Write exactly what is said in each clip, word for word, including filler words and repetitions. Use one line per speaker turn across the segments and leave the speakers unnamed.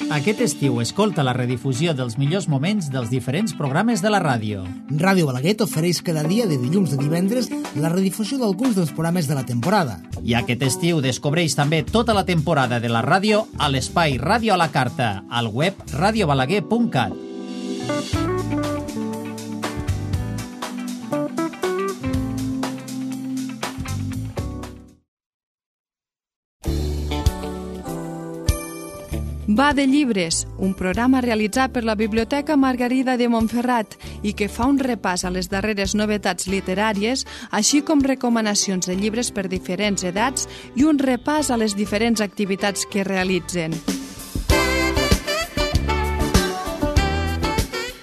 Aquest estiu escolta la redifusió dels millors moments dels diferents programes de la ràdio.
Ràdio Balaguer t'ofereix cada dia de dilluns a divendres la redifusió d'alguns dels programes de la temporada.
I aquest estiu descobreix també tota la temporada de la ràdio a l'espai Ràdio a la Carta, al web radio balaguer punt cat.
Va de llibres, un programa realitzat per la Biblioteca Margarida de Montferrat i que fa un repàs a les darreres novetats literàries, així com recomanacions de llibres per diferents edats i un repàs a les diferents activitats que realitzen.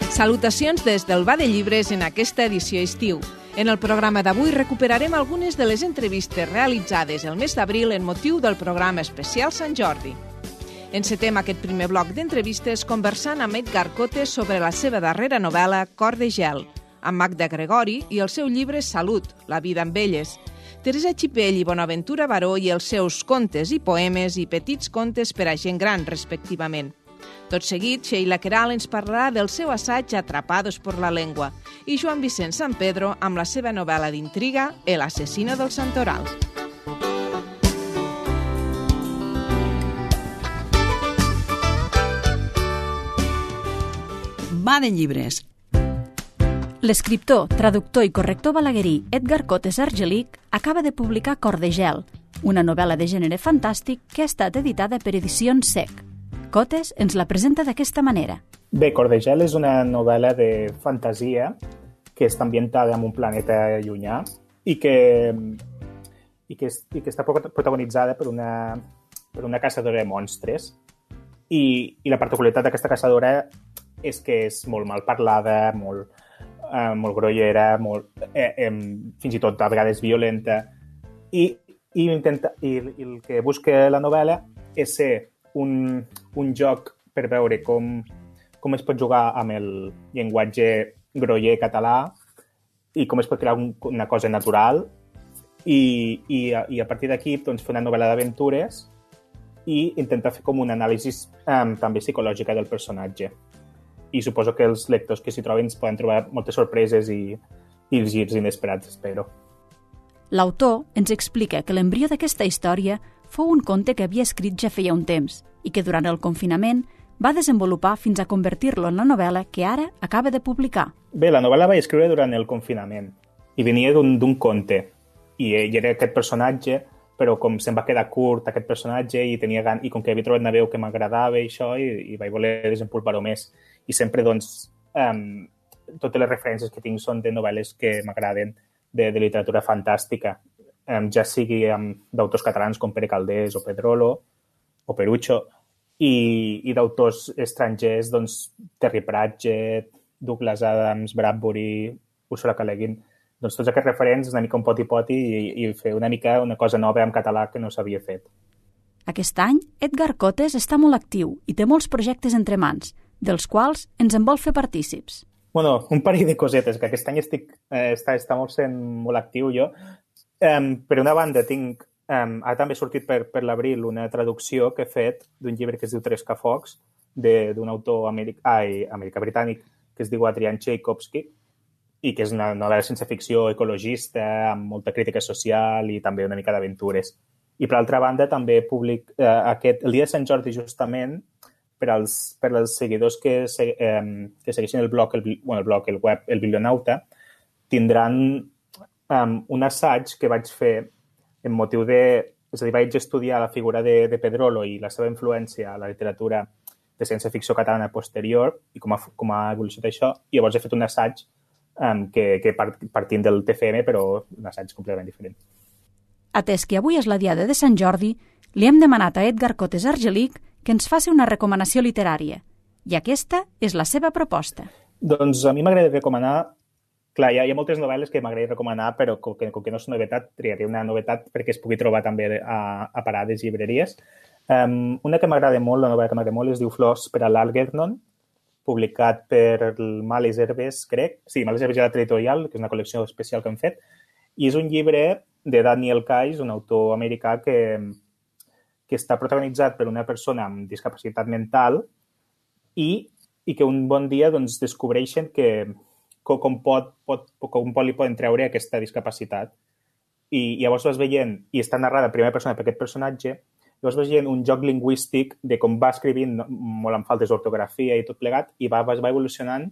Salutacions des del Va de Llibres en aquesta edició estiu. En el programa d'avui recuperarem algunes de les entrevistes realitzades el mes d'abril en motiu del programa especial Sant Jordi. Encetem aquest primer bloc d'entrevistes conversant amb Edgar Cotes sobre la seva darrera novel·la Cor de gel, amb Magda Gregori i el seu llibre Salut, la vida amb elles, Teresa Xipell i Bonaventura Baró i els seus contes i poemes i petits contes per a gent gran, respectivament. Tot seguit, Sheila Queralt ens parlarà del seu assaig Atrapados por la lengua i Joan Vicent San Pedro amb la seva novel·la d'intriga El asesino del Santoral.
Va de llibres.
L'escriptor, traductor i corrector balaguerí Edgar Cotes Argelich acaba de publicar Cor de gel, una novel·la de gènere fantàstic que ha estat editada per Edicions S E C. Cotes ens la presenta d'aquesta manera.
Bé, Cor de gel és una novel·la de fantasia que està ambientada en un planeta llunyà i que, i que, i que està protagonitzada per una, per una caçadora de monstres. I, i la particularitat d'aquesta caçadora és que és molt mal parlada, molt, eh, molt grollera, molt, eh, eh, fins i tot a vegades violenta. I, i, intenta, i, i el que busca la novel·la és ser un, un joc per veure com, com es pot jugar amb el llenguatge groller català i com es pot crear un, una cosa natural i, i, i a partir d'aquí doncs, fer una novel·la d'aventures i intentar fer com una anàlisi eh, també psicològica del personatge. I suposo que els lectors que s'hi troben es poden trobar moltes sorpreses i, i girs inesperats, espero.
L'autor ens explica que l'embrió d'aquesta història fou un conte que havia escrit ja feia un temps i que durant el confinament va desenvolupar fins a convertir-lo en la novel·la que ara acaba de publicar.
Bé, la novel·la vaig escriure durant el confinament i venia d'un conte i ell era aquest personatge, però com se'm va quedar curt aquest personatge i, tenia gan... i com que havia trobat una veu que m'agradava i això, i, i vaig voler desenvolupar-ho més. I sempre, doncs, um, totes les referències que tinc són de novel·les que m'agraden de, de literatura fantàstica, um, ja sigui um, d'autors catalans com Pere Calders o Pedrolo o Perucho, i, i d'autors estrangers, doncs, Terry Pratchett, Douglas Adams, Bradbury, Ursula K. Le Guin, doncs tots aquests referents una mica un poti-poti i, i fer una mica una cosa nova en català que no s'havia fet.
Aquest any, Edgar Cotes està molt actiu i té molts projectes entre mans, dels quals ens en vol fer partícips.
Bueno, un parell de cosetes, que aquest any estic, eh, està, està molt sent molt actiu jo. Um, per una banda, tinc, um, ha també sortit per, per l'abril una traducció que he fet d'un llibre que es diu Trescafocs, d'un autor americ, ai, americà-britànic que es diu Adrian Tchaikovsky, i que és una novel·la sense ficció ecologista, amb molta crítica social i també una mica d'aventures. I per altra banda, també public, eh, aquest, el dia de Sant Jordi, justament, per als, per als seguidors que, se, eh, que segueixen el blog, el, bueno, el blog, el web, el Biblionauta, tindran um, un assaig que vaig fer en motiu de... És a dir, vaig estudiar la figura de, de Pedrolo i la seva influència a la literatura de ciència-ficció catalana posterior i com ha, com ha evolucionat això, i llavors he fet un assaig um, que, que part, partint del T F M, però un assaig completament diferent.
Atès que avui és la diada de Sant Jordi, li hem demanat a Edgar Cotes Argelich que ens faci una recomanació literària. I aquesta és la seva proposta.
Doncs a mi m'agrada recomanar... Clar, hi ha, hi ha moltes novel·les que m'agrada recomanar, però com que, com que no és novetat, triaré una novetat perquè es pugui trobar també a, a parades i llibreries. Um, una que m'agrada molt, la novel·la que m'agrada molt, es diu Flors per a l'Algernon, publicat per el Males Herbes, crec. Sí, Males Herbes Editorial, que és una col·lecció especial que hem fet. I és un llibre de Daniel Kais, un autor americà que... que està protagonitzat per una persona amb discapacitat mental i, i que un bon dia doncs, descobreixen que com, pot, pot, com pot li poden treure aquesta discapacitat. I llavors vas veient, i està narrada en primera persona per aquest personatge, llavors vas veient un joc lingüístic de com va escrivint molt amb faltes d'ortografia i tot plegat, i va, va evolucionant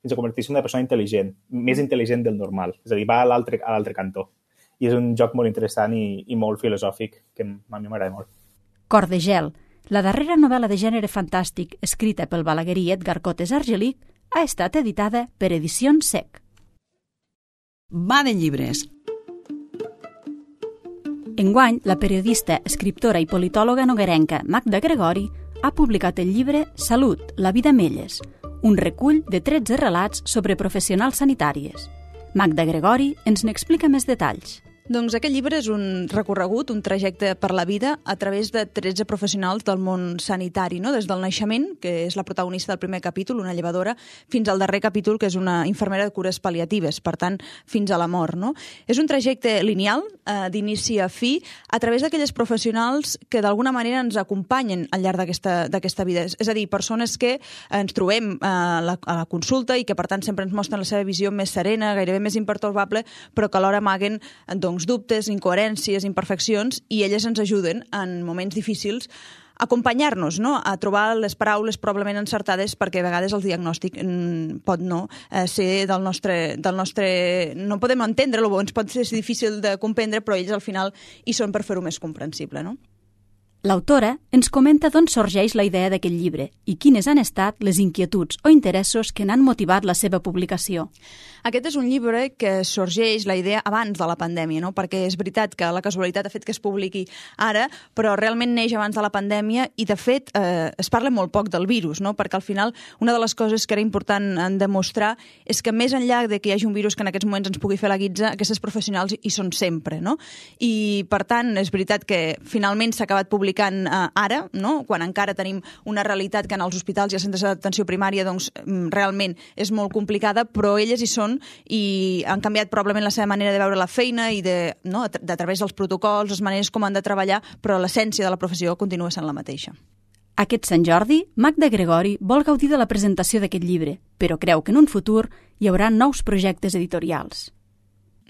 fins a convertir-se en una persona intel·ligent, més intel·ligent del normal. És a dir, va a l'altre a l'altre cantó. I és un joc molt interessant i, i molt filosòfic, que a mi m'agrada molt.
Cor de gel, la darrera novel·la de gènere fantàstic escrita pel balaguerí Edgar Cotes Argelic, ha estat editada per Edicions S E C.
Va de llibres.
Enguany, la periodista, escriptora i politòloga noguerenca Magda Gregori ha publicat el llibre Salut, la vida Melles, un recull de tretze relats sobre professionals sanitàries. Magda Gregori ens n'explica més detalls.
Doncs aquest llibre és un recorregut, un trajecte per la vida a través de tretze professionals del món sanitari, no? Des del naixement, que és la protagonista del primer capítol, una llevadora, fins al darrer capítol, que és una infermera de cures pal·liatives, per tant, fins a la mort. No? És un trajecte lineal, eh, d'inici a fi, a través d'aquelles professionals que d'alguna manera ens acompanyen al llarg d'aquesta vida. És a dir, persones que ens trobem a la, a la consulta i que, per tant, sempre ens mostren la seva visió més serena, gairebé més impertorbable, però que alhora amaguen doncs, dubtes, incoherències, imperfeccions, i elles ens ajuden en moments difícils a acompanyar-nos, no? A trobar les paraules probablement encertades, perquè a vegades el diagnòstic pot no eh, ser del nostre, del nostre... No podem entendre-lo, ens pot ser difícil de comprendre, però ells al final hi són per fer-ho més comprensible, no?
L'autora ens comenta d'on sorgeix la idea d'aquest llibre i quines han estat les inquietuds o interessos que n'han motivat la seva publicació.
Aquest és un llibre que sorgeix la idea abans de la pandèmia, no? Perquè és veritat que la casualitat ha fet que es publiqui ara, però realment neix abans de la pandèmia i, de fet, eh, es parla molt poc del virus, no? Perquè al final una de les coses que era important en demostrar és que més enllà de que hi hagi un virus que en aquests moments ens pugui fer la guitza, aquestes professionals hi són sempre, no? I, per tant, és veritat que finalment s'ha acabat publicant ara, no? Quan encara tenim una realitat que en els hospitals i els centres d'atenció primària doncs, realment és molt complicada, però elles hi són i han canviat probablement la seva manera de veure la feina i de, no? de a través dels protocols, les maneres com han de treballar, però l'essència de la professió continua sent la mateixa.
Aquest Sant Jordi, Magda Gregori vol gaudir de la presentació d'aquest llibre, però creu que en un futur hi haurà nous projectes editorials.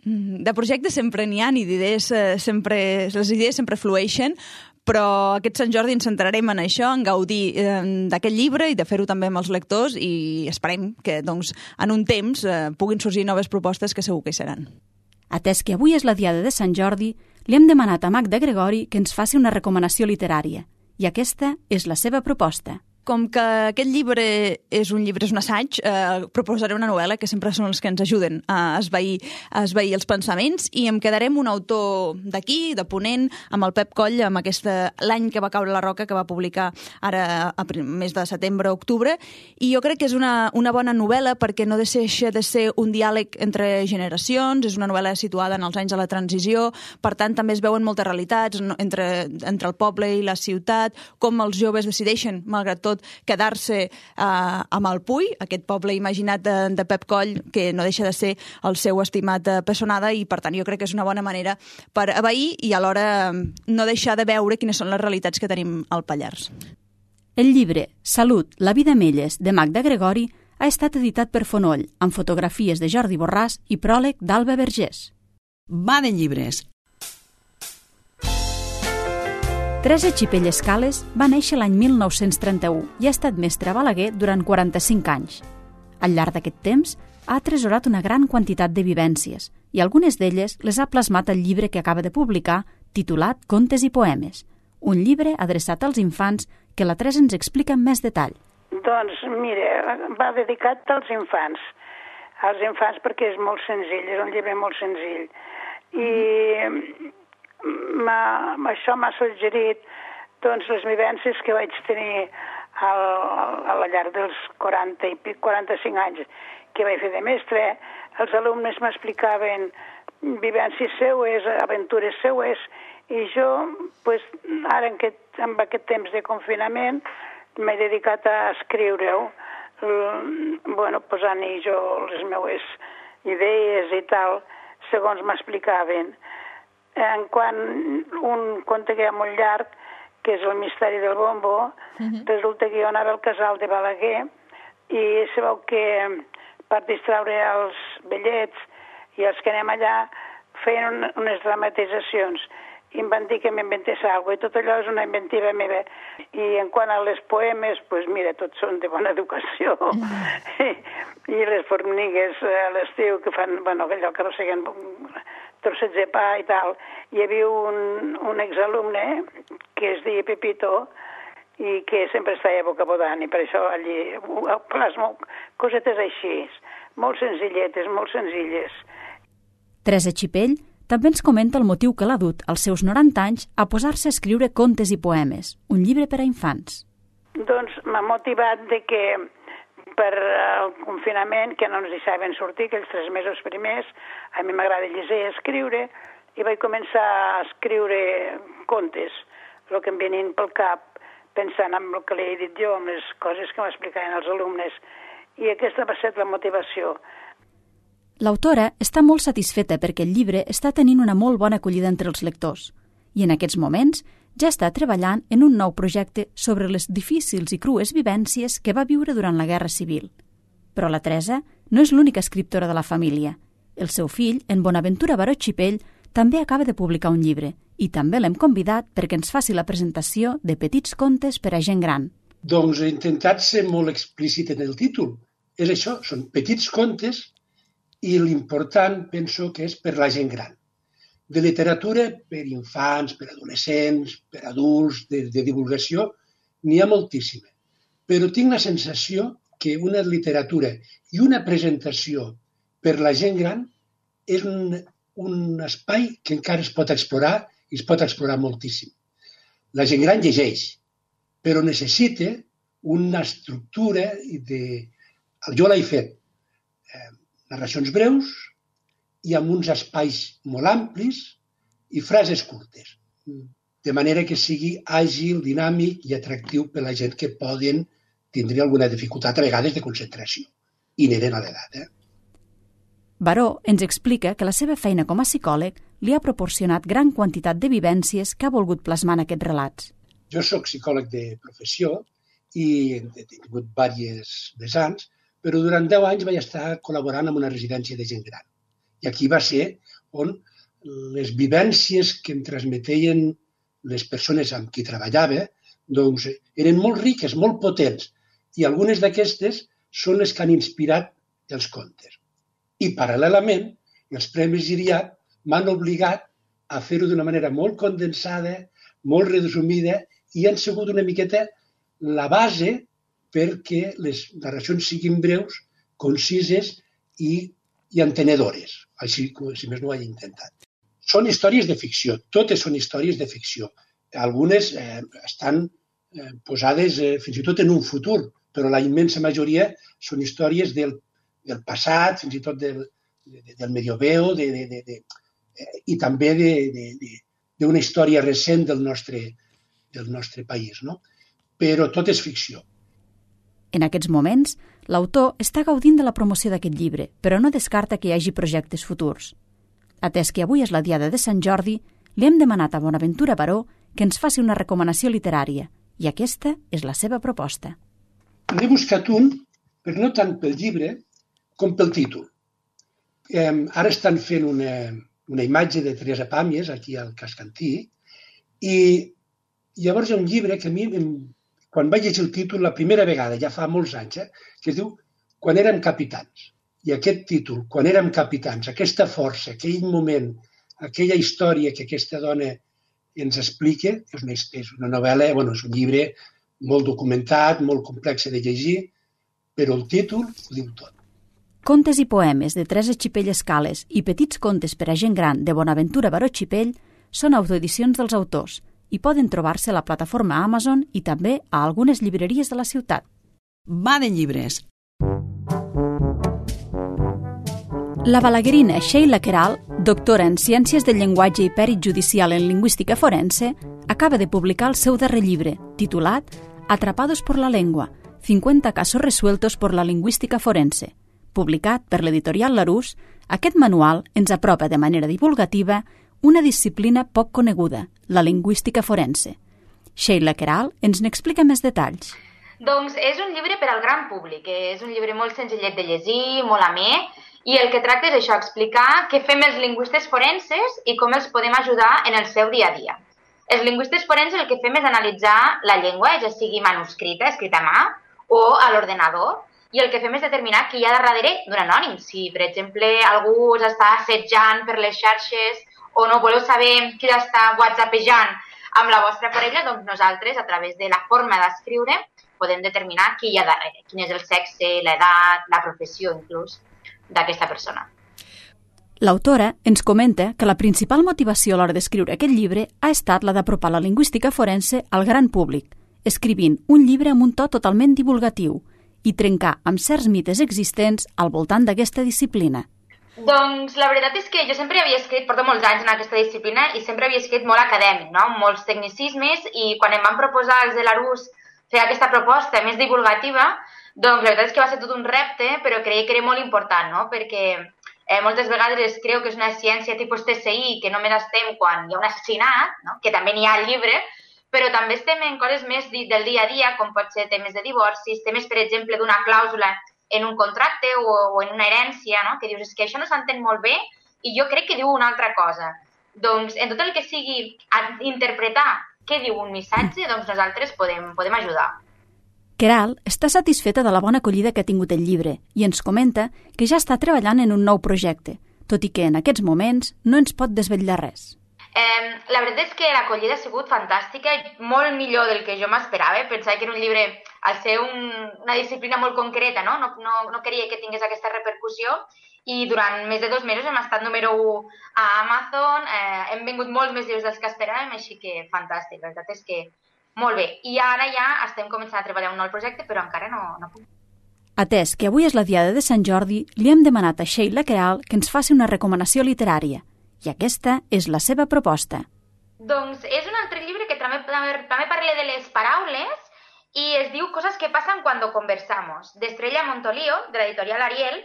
De projectes sempre n'hi ha i d'idees sempre, les idees sempre flueixen, però aquest Sant Jordi ens centrarem en això, en gaudir eh, d'aquest llibre i de fer-ho també amb els lectors i esperem que doncs, en un temps eh, puguin sorgir noves propostes que segur que hi seran.
Atès que avui és la diada de Sant Jordi, li hem demanat a Magda Gregori que ens faci una recomanació literària i aquesta és la seva proposta.
Com que aquest llibre és un llibre, és un assaig, eh, proposaré una novel·la que sempre són els que ens ajuden a esvair, a esvair els pensaments i em quedarem un autor d'aquí, de Ponent, amb el Pep Coll, amb aquesta l'any que va caure la roca, que va publicar ara a mes de setembre o octubre, i jo crec que és una, una bona novel·la perquè no deixa de ser un diàleg entre generacions, és una novel·la situada en els anys de la transició, per tant també es veuen moltes realitats entre, entre el poble i la ciutat, com els joves decideixen, malgrat tot, quedar-se eh, amb el Puy, aquest poble imaginat de, de Pep Coll, que no deixa de ser el seu estimat eh, Pessonada, i per tant jo crec que és una bona manera per abair i alhora no deixar de veure quines són les realitats que tenim al Pallars.
El llibre Salut, la vida Melles, de Magda Gregori, ha estat editat per Fonoll, amb fotografies de Jordi Borràs i pròleg d'Alba Vergés.
Va de llibres.
Teresa Xipell Escales va néixer l'any mil nou-cents trenta-u i ha estat mestra a Balaguer durant quaranta-cinc anys. Al llarg d'aquest temps, ha atresorat una gran quantitat de vivències i algunes d'elles les ha plasmat al llibre que acaba de publicar, titulat Contes i poemes, un llibre adreçat als infants que la Teresa ens explica amb més detall.
Doncs, mira, va dedicat als infants, als infants perquè és molt senzill, és un llibre molt senzill. I m'ha, això m'ha suggerit doncs, les vivències que vaig tenir al, a la llarg dels quaranta i quaranta-cinc anys que vaig fer de mestre. Els alumnes m'explicaven vivències seues, aventures seues, i jo, pues, ara en aquest, en aquest temps de confinament, m'he dedicat a escriure-ho, bueno, posant-hi jo les meves idees i tal, segons m'explicaven. En quant un conte que era molt llarg, que és el misteri del bombo, uh-huh. resulta que jo anava al casal de Balaguer i sabeu que per distraure els vellets i els que anem allà feien un, unes dramatitzacions i em van dir que m'inventés alguna cosa, i tot allò és una inventiva meva. I en quant a les poemes, doncs pues mira, tots són de bona educació. Mm. I, I les formigues a l'estiu que fan, bueno, allò que arrosseguen trossets de pa i tal. Hi havia un, un exalumne que es deia Pepito i que sempre estava vocabodant, i per això allí plasmo cosetes així, molt senzilletes, molt senzilles.
Teresa Xipell també ens comenta el motiu que l'ha dut, als seus noranta anys, a posar-se a escriure contes i poemes, un llibre per a infants.
Doncs m'ha motivat de que per el confinament, que no ens deixaven sortir, aquells tres mesos primers, a mi m'agrada llegir i escriure, i vaig començar a escriure contes, el que em venien pel cap, pensant en el que li he dit jo, en les coses que m'explicaven els alumnes, i aquesta va ser la motivació.
L'autora està molt satisfeta perquè el llibre està tenint una molt bona acollida entre els lectors i en aquests moments ja està treballant en un nou projecte sobre les difícils i crues vivències que va viure durant la Guerra Civil. Però la Teresa no és l'única escriptora de la família. El seu fill, en Bonaventura Baró Xipell, també acaba de publicar un llibre i també l'hem convidat perquè ens faci la presentació de Petits contes per a gent gran.
Doncs he intentat ser molt explícit en el títol. És això, són petits contes i l'important, penso, que és per la gent gran. De literatura per infants, per adolescents, per adults, de, de divulgació, n'hi ha moltíssima. Però tinc la sensació que una literatura i una presentació per la gent gran és un, un espai que encara es pot explorar i es pot explorar moltíssim. La gent gran llegeix, però necessita una estructura de... Jo l'he fet. Eh, narracions breus i amb uns espais molt amplis i frases curtes, de manera que sigui àgil, dinàmic i atractiu per a la gent que poden tindre alguna dificultat a vegades de concentració, inherent a l'edat. Eh?
Baró ens explica que la seva feina com a psicòleg li ha proporcionat gran quantitat de vivències que ha volgut plasmar en aquests relats.
Jo soc psicòleg de professió i he tingut diversos vessants, però durant deu anys vaig estar col·laborant amb una residència de gent gran. I aquí va ser on les vivències que em transmetien les persones amb qui treballava doncs, eren molt riques, molt potents, i algunes d'aquestes són les que han inspirat els contes. I, paral·lelament, els Premis Giriat m'han obligat a fer-ho d'una manera molt condensada, molt resumida, i han sigut una miqueta la base perquè les narracions siguin breus, concises i, i entenedores. Així, si més no ho he intentat. Són històries de ficció, totes són històries de ficció. Algunes eh, estan eh, posades eh, fins i tot en un futur, però la immensa majoria són històries del, del passat, fins i tot del, de, del medieveo, de, de, de, de, eh, i també d'una història recent del nostre, del nostre país, no? Però tot és ficció.
En aquests moments, l'autor està gaudint de la promoció d'aquest llibre, però no descarta que hi hagi projectes futurs. Atès que avui és la diada de Sant Jordi, li hem demanat a Bonaventura Baró que ens faci una recomanació literària, i aquesta és la seva proposta.
N'he buscat un, però no tant pel llibre com pel títol. Eh, ara estan fent una, una imatge de Teresa Pàmies aquí al Cascantí, i llavors hi ha un llibre que a mi em quan vaig llegir el títol la primera vegada, ja fa molts anys, eh, que es diu Quan érem capitans. I aquest títol, Quan érem capitans, aquesta força, aquell moment, aquella història que aquesta dona ens explica, és una, és una novel·la, bueno, és un llibre molt documentat, molt complex de llegir, però el títol ho diu tot.
Contes i poemes de Teresa Xipell Escales i Petits contes per a gent gran de Bonaventura Baró Xipell són autoedicions dels autors i poden trobar-se a la plataforma Amazon i també a algunes llibreries de la ciutat.
Va de llibres.
La balaguerina Sheila Queralt, doctora en Ciències del Llenguatge i Pèrit Judicial en Lingüística Forense, acaba de publicar el seu darrer llibre, titulat Atrapados por la lengua, cincuenta casos resueltos por la lingüística forense. Publicat per l'editorial Larousse, aquest manual ens apropa de manera divulgativa una disciplina poc coneguda, la lingüística forense, Sheila Queralt ens n'explica més detalls.
Doncs és un llibre per al gran públic, és un llibre molt senzillet de llegir, molt amè, i el que tracta és això, explicar què fem els lingüistes forenses i com els podem ajudar en el seu dia a dia. Els lingüistes forenses el que fem és analitzar la llengua, ja sigui manuscrita, escrita a mà, o a l'ordenador, i el que fem és determinar qui hi ha darrere d'un anònim. Si, per exemple, algú us està assetjant per les xarxes o no voleu saber qui està whatsappejant amb la vostra parella, doncs nosaltres, a través de la forma d'escriure, podem determinar qui hi ha darrere, quin és el sexe, l'edat, la professió, inclús, d'aquesta persona.
L'autora ens comenta que la principal motivació a l'hora d'escriure aquest llibre ha estat la d'apropar la lingüística forense al gran públic, escrivint un llibre amb un to totalment divulgatiu i trencar amb certs mites existents al voltant d'aquesta disciplina.
Doncs la veritat és que jo sempre havia escrit, porto molts anys en aquesta disciplina i sempre havia escrit molt acadèmic, no? Molts tecnicismes, i quan em van proposar els de l'Arús fer aquesta proposta més divulgativa, doncs la veritat és que va ser tot un repte, però creia que era molt important, no? Perquè eh, moltes vegades es creu que és una ciència tipus T S I, que només estem quan hi ha un assassinat, no? Que també n'hi ha al llibre, però també estem en coses més del dia a dia, com pot ser temes de divorcis, temes, per exemple, d'una clàusula en un contracte o, o en una herència, no? Que dius, és que això no s'entén molt bé i jo crec que diu una altra cosa. Doncs en tot el que sigui interpretar què diu un missatge, doncs nosaltres podem, podem ajudar.
Queralt està satisfeta de la bona acollida que ha tingut el llibre i ens comenta que ja està treballant en un nou projecte, tot i que en aquests moments no ens pot desvetllar res.
Eh, la veritat és que l'acollida ha sigut fantàstica, molt millor del que jo m'esperava. Pensava que era un llibre, al ser un, una disciplina molt concreta, no? No, no, no queria que tingués aquesta repercussió, i durant més de dos mesos hem estat número u a Amazon, eh, hem vengut molts més llibres dels que esperàvem, així que fantàstic, la veritat és que molt bé. I ara ja estem començant a treballar un nou projecte, però encara no, no puc.
Atès que avui és la diada de Sant Jordi, li hem demanat a Sheila Queralt que ens faci una recomanació literària, i aquesta és la seva proposta.
Doncs és un altre llibre que també, també, també parla de les paraules i es diu Cosas que pasan cuando conversamos, d'Estrella Montolio, de l'editorial Ariel,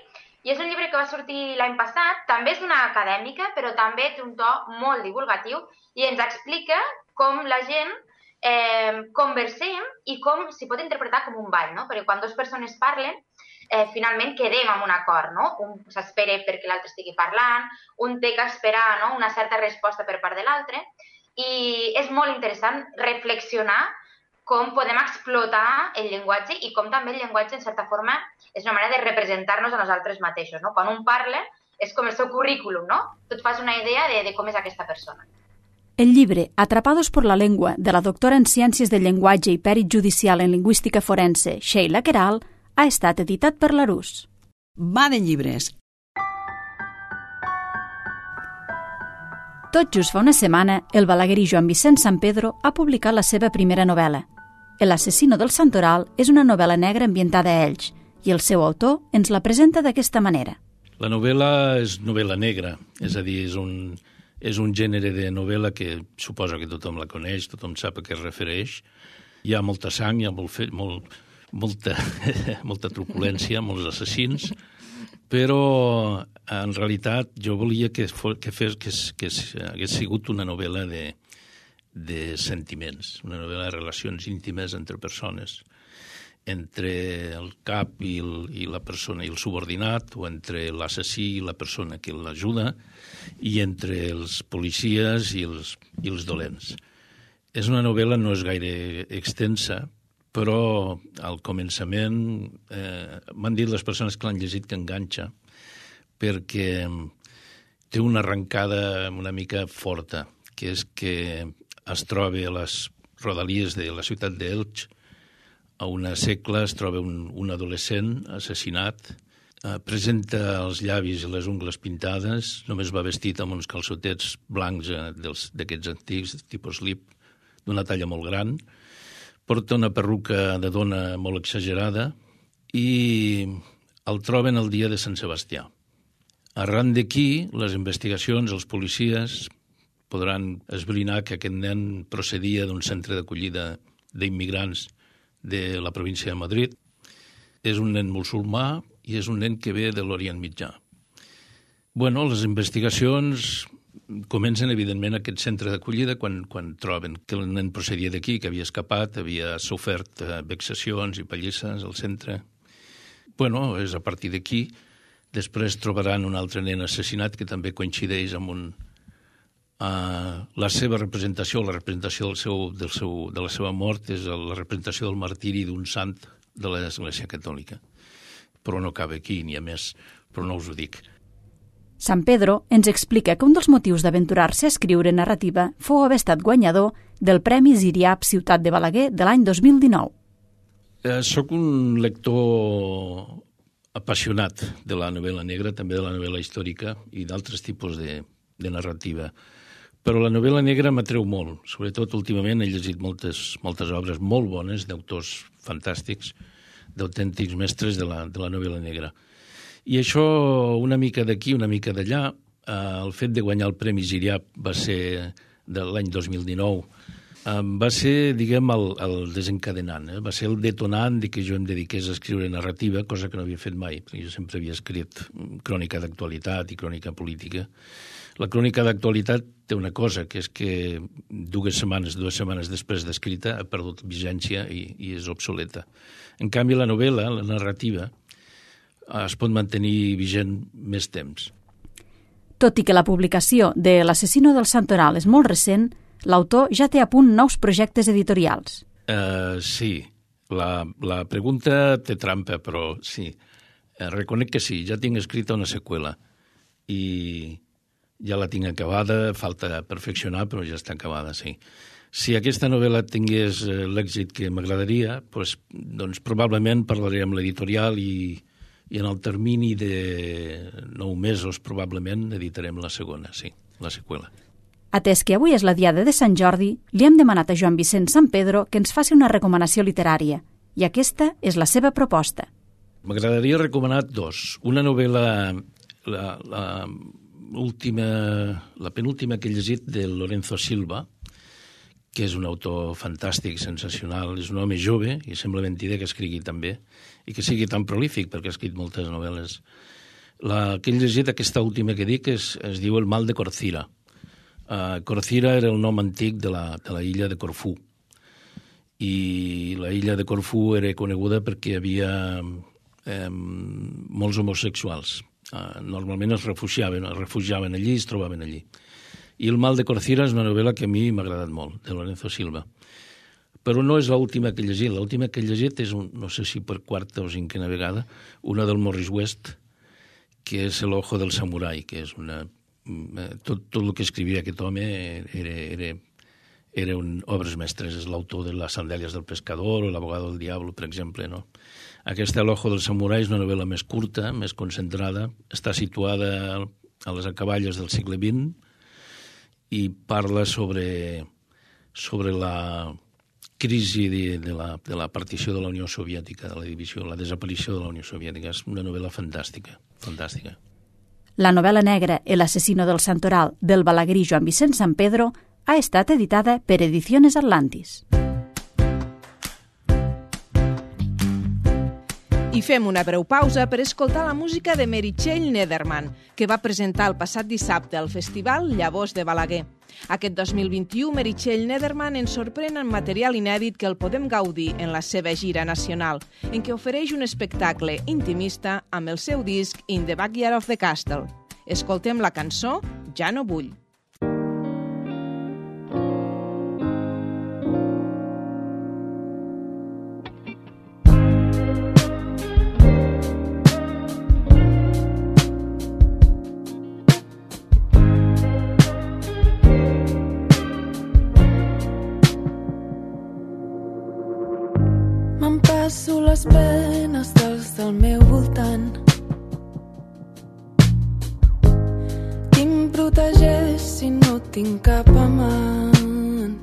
i és un llibre que va sortir l'any passat, també és una acadèmica, però també té un to molt divulgatiu i ens explica com la gent eh, conversem i com s'hi pot interpretar com un ball, no? Perquè quan dues persones parlen, eh, finalment quedem amb un acord, no? Un s'espera perquè l'altre estigui parlant, un té que esperar, no? Una certa resposta per part de l'altre, i és molt interessant reflexionar com podem explotar el llenguatge i com també el llenguatge, en certa forma, és una manera de representar-nos a nosaltres mateixos, no? Quan un parla, és com el seu currículum, no? Tu et fas una idea de, de com és aquesta persona.
El llibre Atrapados por la lengua, de la doctora en Ciències del Llenguatge i Pèrit Judicial en Lingüística Forense, Sheila Queralt, ha estat editat per l'Arús.
Va de llibres.
Tot just fa una setmana, el balaguerí Joan Vicent Sampedro ha publicat la seva primera novel·la. El asesino del Santoral és una novel·la negra ambientada a Elx i el seu autor ens la presenta d'aquesta manera.
La novel·la és novel·la negra, és a dir, és un, és un gènere de novel·la que suposo que tothom la coneix, tothom sap a què es refereix. Hi ha molta sang, hi ha molt, molt, molta, molta truculència, molts assassins, però en realitat jo volia que, fos, que, fes, que, que hagués sigut una novel·la de, de sentiments, una novel·la de relacions íntimes entre persones, entre el cap i, el, i la persona i el subordinat, o entre l'assassí i la persona que l'ajuda, i entre els policies i els, i els dolents. És una novel·la, no és gaire extensa, però al començament eh, m'han dit les persones que l'han llegit que enganxa, perquè té una arrencada una mica forta, que és que es troba a les rodalies de la ciutat d'Elx, a una segle es troba un, un adolescent assassinat, eh, presenta els llavis i les ungles pintades, només va vestit amb uns calçotets blancs eh, d'aquests antics, tipus slip, d'una talla molt gran, porta una perruca de dona molt exagerada i el troben el dia de Sant Sebastià. Arran d'aquí, les investigacions, els policies podran esbrinar que aquest nen procedia d'un centre d'acollida d'immigrants de la província de Madrid. És un nen musulmà i és un nen que ve de l'Orient Mitjà. Bueno, les investigacions comencen, evidentment, aquest centre d'acollida quan, quan troben que el nen procedia d'aquí, que havia escapat, havia sofert eh, vexacions i pallisses al centre. Bueno, és a partir d'aquí. Després trobaran un altre nen assassinat que també coincideix amb un, uh, la seva representació, la representació del seu, del seu, de la seva mort és la representació del martiri d'un sant de l'Església Catòlica. Però no cabe aquí, ni a més, però no us ho dic.
Sant Pedro ens explica que un dels motius d'aventurar-se a escriure narrativa fou haver estat guanyador del Premi Ziriap Ciutat de Balaguer de l'any dos mil dinou.
Eh, soc un lector apassionat de la novel·la negra, també de la novel·la històrica i d'altres tipus de, de narrativa. Però la novel·la negra m'atreu molt. Sobretot, últimament, he llegit moltes, moltes obres molt bones d'autors fantàstics, d'autèntics mestres de la, de la novel·la negra. I això, una mica d'aquí, una mica d'allà, eh, el fet de guanyar el Premi Ziriap va ser de l'any dos mil dinou, eh, va ser, diguem, el, el desencadenant, eh? Va ser el detonant de que jo em dediqués a escriure narrativa, cosa que no havia fet mai, perquè jo sempre havia escrit crònica d'actualitat i crònica política. La crònica d'actualitat té una cosa, que és que dues setmanes, dues setmanes després d'escrita ha perdut vigència i, i és obsoleta. En canvi, la novel·la, la narrativa, es pot mantenir vigent més temps.
Tot i que la publicació de L'assassino del Santoral és molt recent, l'autor ja té a punt nous projectes editorials.
Uh, sí, la, la pregunta té trampa, però sí. Uh, reconec que sí, ja tinc escrita una seqüela i ja la tinc acabada, falta perfeccionar, però ja està acabada, sí. Si aquesta novel·la tingués uh, l'èxit que m'agradaria, pues, doncs probablement parlaré amb l'editorial i i en el termini de nou mesos, probablement, editarem la segona, sí, la seqüela.
Atès que avui és la diada de Sant Jordi, li hem demanat a Joan Vicent Sampedro que ens faci una recomanació literària, i aquesta és la seva proposta.
M'agradaria recomanar dos. Una novel·la, la, la, última, la penúltima que he llegit, de Lorenzo Silva, que és un autor fantàstic, sensacional, és un home jove, i sembla mentida que escrigui tan bé, i que sigui tan prolífic, perquè ha escrit moltes novel·les. La que he llegit, aquesta última que dic, es, es diu El mal de Corcira. Uh, Corcira era el nom antic de la, de la illa de Corfú. I la illa de Corfú era coneguda perquè hi havia eh, molts homosexuals. Uh, normalment es refugiaven, es refugiaven allí i es trobaven allí. I El mal de Corcira és una novel·la que a mi m'ha agradat molt, de Lorenzo Silva. Però no és l'última que he llegit. L'última que he llegit és, un, no sé si per quarta o cinquena vegada, una del Morris West, que és El ojo del samurai, que és una... Tot, tot el que escrivia aquest home era, era, era un obres mestres. És l'autor de Las sandalias del pescador o L'abogado del diablo, per exemple, no? Aquesta El ojo del samurai és una novel·la més curta, més concentrada, està situada a les acaballes del segle vint i parla sobre, sobre la crisi de, de, la, de la partició de la Unió Soviètica, de la divisió, la desaparició de la Unió Soviètica. És una novel·la fantàstica, fantàstica.
La novel·la negra El asesino del Santoral, del balaguerí Joan Vicent Sampedro, ha estat editada per Ediciones Atlantis.
I fem una breu pausa per escoltar la música de Meritxell Nederman, que va presentar el passat dissabte al Festival Llavors de Balaguer. Aquest dos mil vint-i-u, Meritxell Nederman ens sorprèn amb material inèdit que el podem gaudir en la seva gira nacional, en què ofereix un espectacle intimista amb el seu disc In the Backyard of the Castle. Escoltem la cançó Ja no vull.
Passo les penes dels del meu voltant. Qui em protegeix si no tinc cap amant?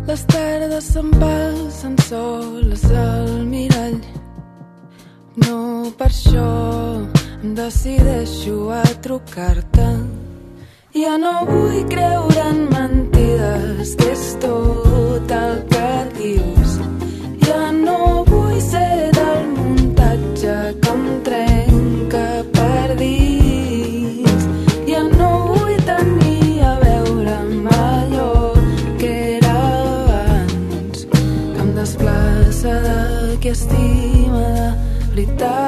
Les tardes se'n passen soles al mirall. No per això em decideixo a trucar-te. Ja no vull creure en mentides, que és tot el que dius. Ja no vull ser del muntatge que em trenca per dins. classe de qui estima de veritat.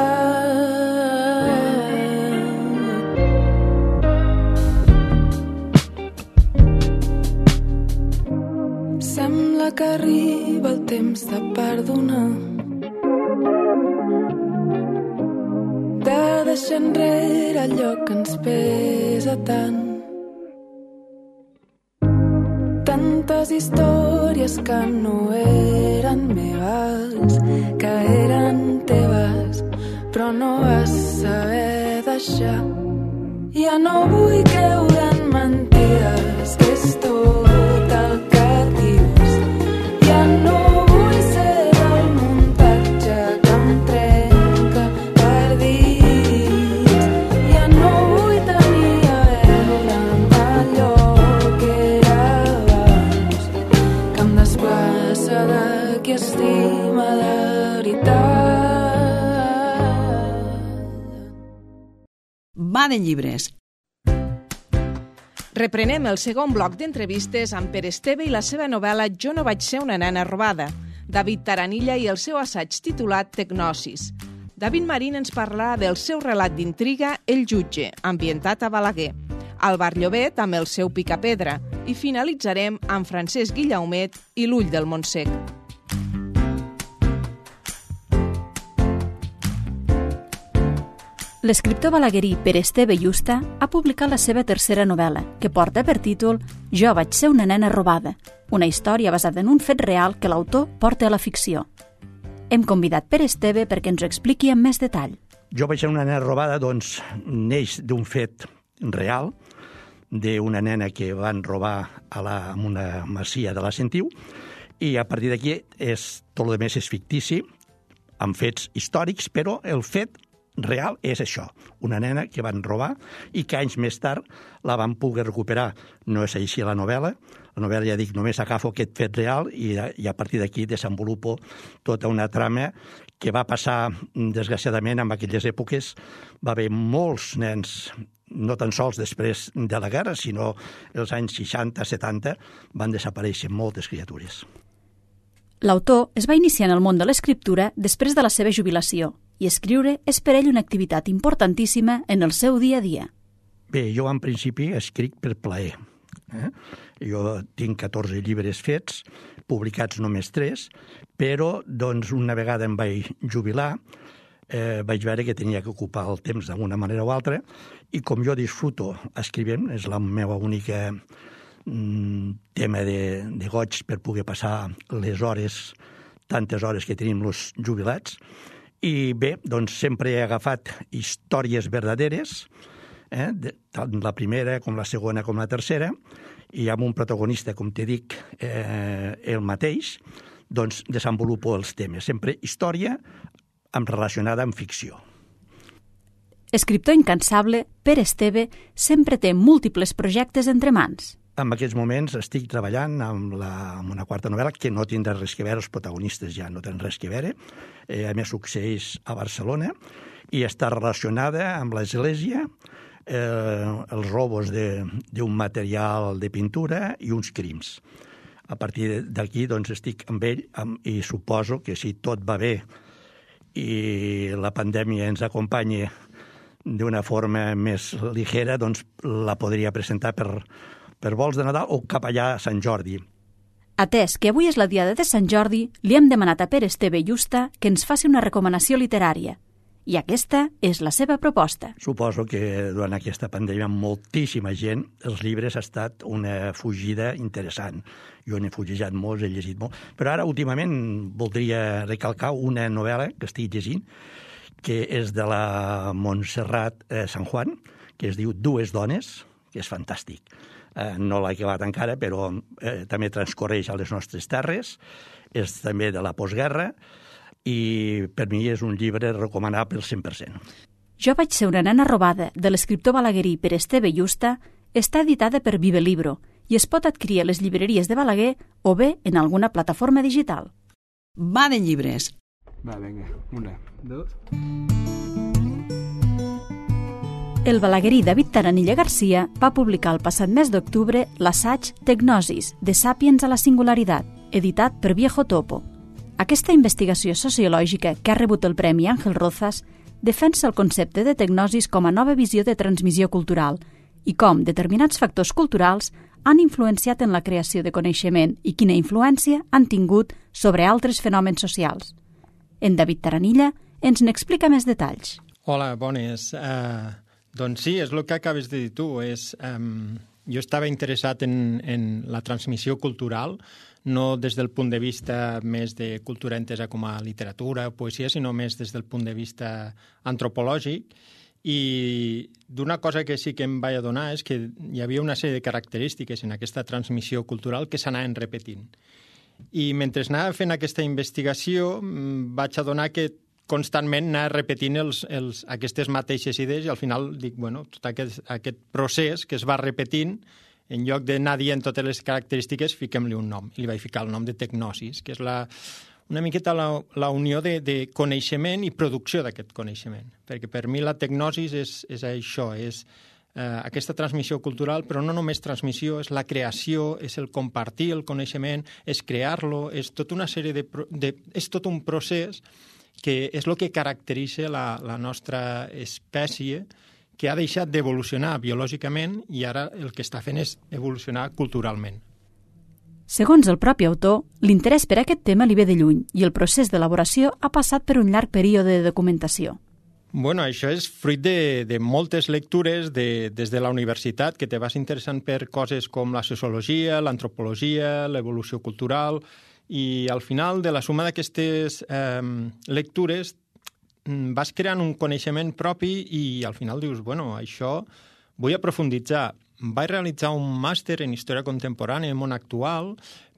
Sembla que arriba el temps de perdonar, de deixar enrere allò que ens pesa tant. Tantes històries que no eren meves, que eren teves, però no vas saber deixar. Ja no vull creure en mentides, que és tot el que dius. Ja no vull ser el muntatge que em trenca per dins. Ja no vull tenir a veure amb allò que era abans, que em desplaça de qui estima de veritat.
Va de llibres.
Reprenem el segon bloc d'entrevistes amb Pere Esteve i la seva novel·la Jo no vaig ser una nena robada, David Taranilla i el seu assaig titulat Tecnosis. David Marín ens parlarà del seu relat d'intriga El jutge, ambientat a Balaguer, al Bar Llobet amb el seu Picapedra i finalitzarem amb Francesc Guillaumet i l'Ull del Montsec.
L'escriptor balaguerí Pere Esteve Justa ha publicat la seva tercera novel·la, que porta per títol Jo vaig ser una nena robada, una història basada en un fet real que l'autor porta a la ficció. Hem convidat Pere Esteve perquè ens ho expliqui amb més detall.
Jo vaig ser una nena robada, doncs, neix d'un fet real, d'una nena que van robar a la, en una masia de la Sentiu, i a partir d'aquí és, tot el més és fictici, amb fets històrics, però el fet real és això, una nena que van robar i que anys més tard la van poder recuperar. No és així la novel·la. La novel·la, ja dic, només agafo aquest fet real i, i a partir d'aquí desenvolupo tota una trama que va passar, desgraciadament, en aquelles èpoques. Va haver molts nens, no tan sols després de la guerra, sinó els anys seixanta setanta, van desaparèixer moltes criatures.
L'autor es va iniciar en el món de l'escriptura després de la seva jubilació, i escriure és per ell una activitat importantíssima en el seu dia a dia.
Bé, jo en principi escric per plaer. Eh? Jo tinc catorze llibres fets, publicats només tres, però doncs, una vegada em vaig jubilar, eh, vaig veure que tenia que ocupar el temps d'una manera o altra, i com jo disfruto escrivint, és la meva única mm, tema de, de goig per poder passar les hores, tantes hores que tenim els jubilats. I bé, doncs sempre he agafat històries verdaderes, eh, de, tant la primera com la segona com la tercera, i amb un protagonista, com te dic, eh, el mateix, doncs desenvolupo els temes. Sempre història amb relacionada amb ficció.
Escriptor incansable, Pere Esteve sempre té múltiples projectes entre mans.
En aquests moments estic treballant amb, la, amb una quarta novel·la que no tindrà res que veure, els protagonistes ja no tenen res que veure, eh, a més succeeix a Barcelona, i està relacionada amb l'església, eh, els robos d'un material de pintura i uns crims. A partir d'aquí doncs, estic amb ell amb, i suposo que si tot va bé i la pandèmia ens acompanya d'una forma més ligera, doncs la podria presentar per per vols de Nadal o cap allà a Sant Jordi.
Atès que avui és la diada de Sant Jordi, li hem demanat a Pere Esteve Justa que ens faci una recomanació literària. I aquesta és la seva proposta.
Suposo que durant aquesta pandèmia moltíssima gent, els llibres ha estat una fugida interessant. Jo n'he fugejat molts, he llegit molt, però ara últimament voldria recalcar una novel·la que estic llegint, que és de la Montserrat eh, San Juan, que es diu Dues dones, que és fantàstic. Eh, no l'he acabat encara, però eh, també transcorreix a les nostres terres, és també de la postguerra, i per mi és un llibre recomanable al cent per cent.
Jo vaig ser una nena robada, de l'escriptor balaguerí Pere Esteve Justa, està editada per Vive Libro i es pot adquirir a les llibreries de Balaguer o bé en alguna plataforma digital.
Va de llibres.
Va, vinga, una, dos...
El balaguerí David Taranilla Garcia va publicar el passat mes d'octubre l'assaig Tecnosis, de Sàpiens a la singularitat, editat per Viejo Topo. Aquesta investigació sociològica que ha rebut el Premi Ángel Rozas defensa el concepte de tecnosis com a nova visió de transmissió cultural i com determinats factors culturals han influenciat en la creació de coneixement i quina influència han tingut sobre altres fenòmens socials. En David Taranilla ens n'explica més detalls.
Hola, bones. Uh, doncs sí, és el que acabes de dir tu. És, um, jo estava interessat en, en la transmissió cultural, no des del punt de vista més de cultura entesa com a literatura o poesia, sinó més des del punt de vista antropològic. I d'una cosa que sí que em vaig adonar és que hi havia una sèrie de característiques en aquesta transmissió cultural que s'anaven repetint. I mentre anava fent aquesta investigació vaig adonar que constantment anava repetint els, els, aquestes mateixes idees i al final dic, bueno, tot aquest, aquest procés que es va repetint, en lloc d'anar dient totes les característiques, fiquem-li un nom. I li vaig ficar el nom de tecnosis, que és la, una miqueta la, la unió de, de coneixement i producció d'aquest coneixement. Perquè per mi la tecnosis és, és això, és eh, aquesta transmissió cultural, però no només transmissió, és la creació, és el compartir el coneixement, és crear-lo, és tota una sèrie de, de... és tot un procés que és el que caracteritza la, la nostra espècie, que ha deixat d'evolucionar biològicament i ara el que està fent és evolucionar culturalment.
Segons el propi autor, l'interès per aquest tema li ve de lluny i el procés d'elaboració ha passat per un llarg període de documentació.
Bueno, això és fruit de, de moltes lectures de, des de la universitat, que te vas interessant per coses com la sociologia, l'antropologia, l'evolució cultural, i al final de la suma d'aquestes eh, lectures vas creant un coneixement propi i al final dius, bueno, això vull aprofunditzar. Vaig realitzar un màster en història contemporània i món actual,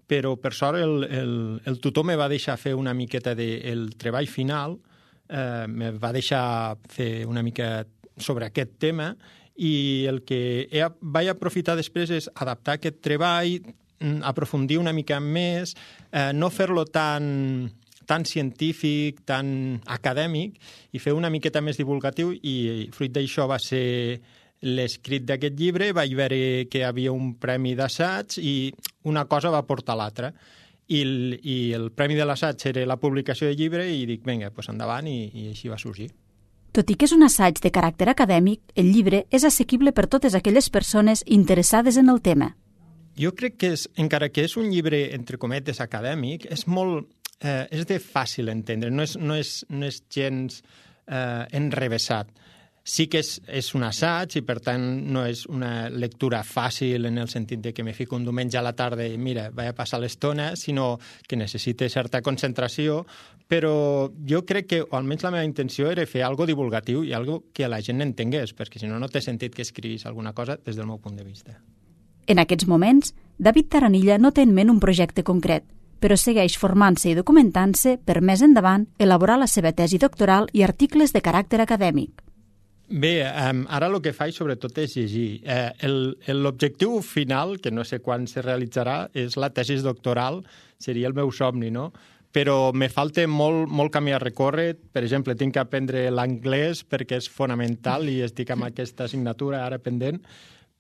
però per sort el, el, el tutor me va deixar fer una miqueta del de, treball final, eh, me va deixar fer una mica sobre aquest tema i el que he, vaig aprofitar després és adaptar aquest treball, aprofundir una mica més, eh, no fer-lo tan... tan científic, tan acadèmic, i fer una miqueta més divulgatiu, i fruit d'això va ser l'escrit d'aquest llibre. Vaig veure que hi havia un premi d'assaig i una cosa va portar l'altra. I el, i el premi de l'assaig era la publicació del llibre i dic, vinga, doncs endavant, i, i així va sorgir.
Tot i que és un assaig de caràcter acadèmic, el llibre és assequible per totes aquelles persones interessades en el tema.
Jo crec que, és, encara que és un llibre, entre cometes, acadèmic, és molt... Eh, és de fàcil entendre, no és, no és, no és gens eh, enrevessat. Sí que és, és un assaig i, per tant, no és una lectura fàcil en el sentit de que me fico un diumenge a la tarda i, mira, vaig a passar l'estona, sinó que necessita certa concentració, però jo crec que, o almenys la meva intenció, era fer algo divulgatiu i algo que la gent entengués, perquè si no, no té sentit que escriguis alguna cosa des del meu punt de vista.
En aquests moments, David Taranilla no té en ment un projecte concret, però segueix formant-se i documentant-se per més endavant elaborar la seva tesi doctoral i articles de caràcter acadèmic.
Bé, um, ara el que faig sobretot és llegir. Eh, L'objectiu final, que no sé quan se realitzarà, és la tesi doctoral, seria el meu somni, no? Però me falta molt, molt camí a recórrer. Per exemple, tinc que aprendre l'anglès perquè és fonamental i estic amb aquesta assignatura ara pendent.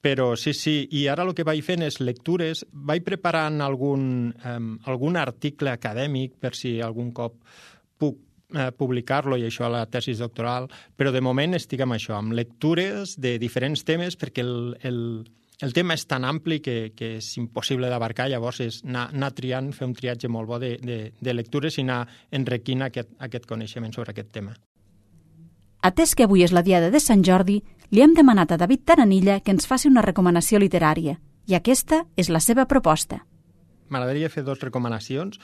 Però sí, sí, i ara el que vaig fent és lectures, vaig preparant algun, um, algun article acadèmic per si algun cop puc eh, publicar-lo i això a la tesi doctoral, però de moment estic amb això, amb lectures de diferents temes perquè el, el, el tema és tan ampli que, que és impossible d'abarcar, llavors és anar, anar triant, fer un triatge molt bo de, de, de lectures i anar enriquint aquest, aquest coneixement sobre aquest tema.
Atès que avui és la diada de Sant Jordi, li hem demanat a David Taranilla que ens faci una recomanació literària, i aquesta és la seva proposta.
M'agradaria fer dues recomanacions.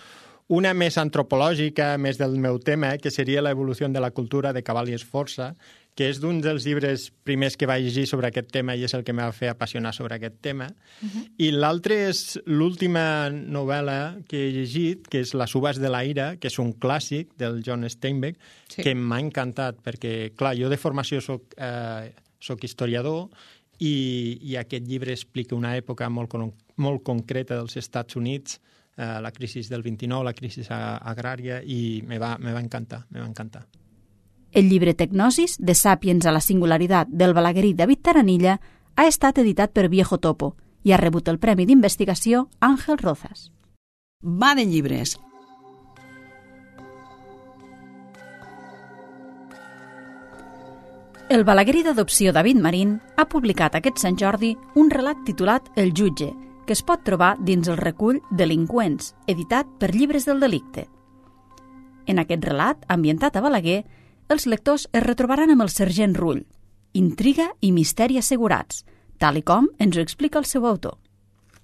Una més antropològica, més del meu tema, que seria l'evolució de la cultura de Cabal i Esforça, que és d'un dels llibres primers que vaig llegir sobre aquest tema i és el que m'ha fet apassionar sobre aquest tema. Uh-huh. I l'altre és l'última novel·la que he llegit, que és Les uves de la ira, que és un clàssic del John Steinbeck, sí. que m'ha encantat, perquè, clar, jo de formació soc, eh, soc historiador i, i aquest llibre explica una època molt, molt concreta dels Estats Units, eh, la crisi del vint-i-nou, la crisi agrària, i me va, me va encantar, me va encantar.
El llibre Tecnosis, de Sàpiens a la singularitat, del balaguerí David Taranilla, ha estat editat per Viejo Topo i ha rebut el Premi d'Investigació Ángel Rozas.
Va de llibres.
El balaguer d'adopció David Marín ha publicat aquest Sant Jordi un relat titulat El jutge, que es pot trobar dins el recull Delinqüents, editat per Llibres del Delicte. En aquest relat, ambientat a Balaguer, els lectors es retrobaran amb el sergent Rull, intriga i misteri assegurats, tal i com ens ho explica el seu autor.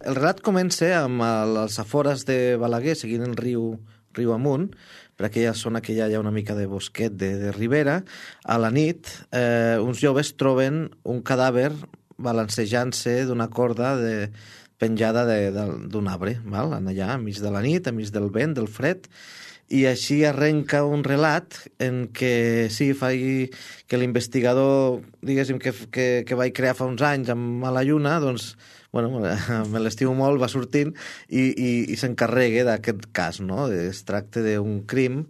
El relat comença amb les afores de Balaguer, seguint el riu, riu amunt, per aquella zona que ja hi ha una mica de bosquet de, de ribera. A la nit, eh, uns joves troben un cadàver balancejant-se d'una corda de, penjada d'un arbre, val? Allà, enmig de la nit, enmig del vent, del fred, i així arrenca un relat en què sí, fa que l'investigador, diguéssim, que, que, que vaig crear fa uns anys amb la lluna, doncs, bueno, me l'estimo molt, va sortint i, i, i s'encarrega d'aquest cas, no? Es tracta d'un crim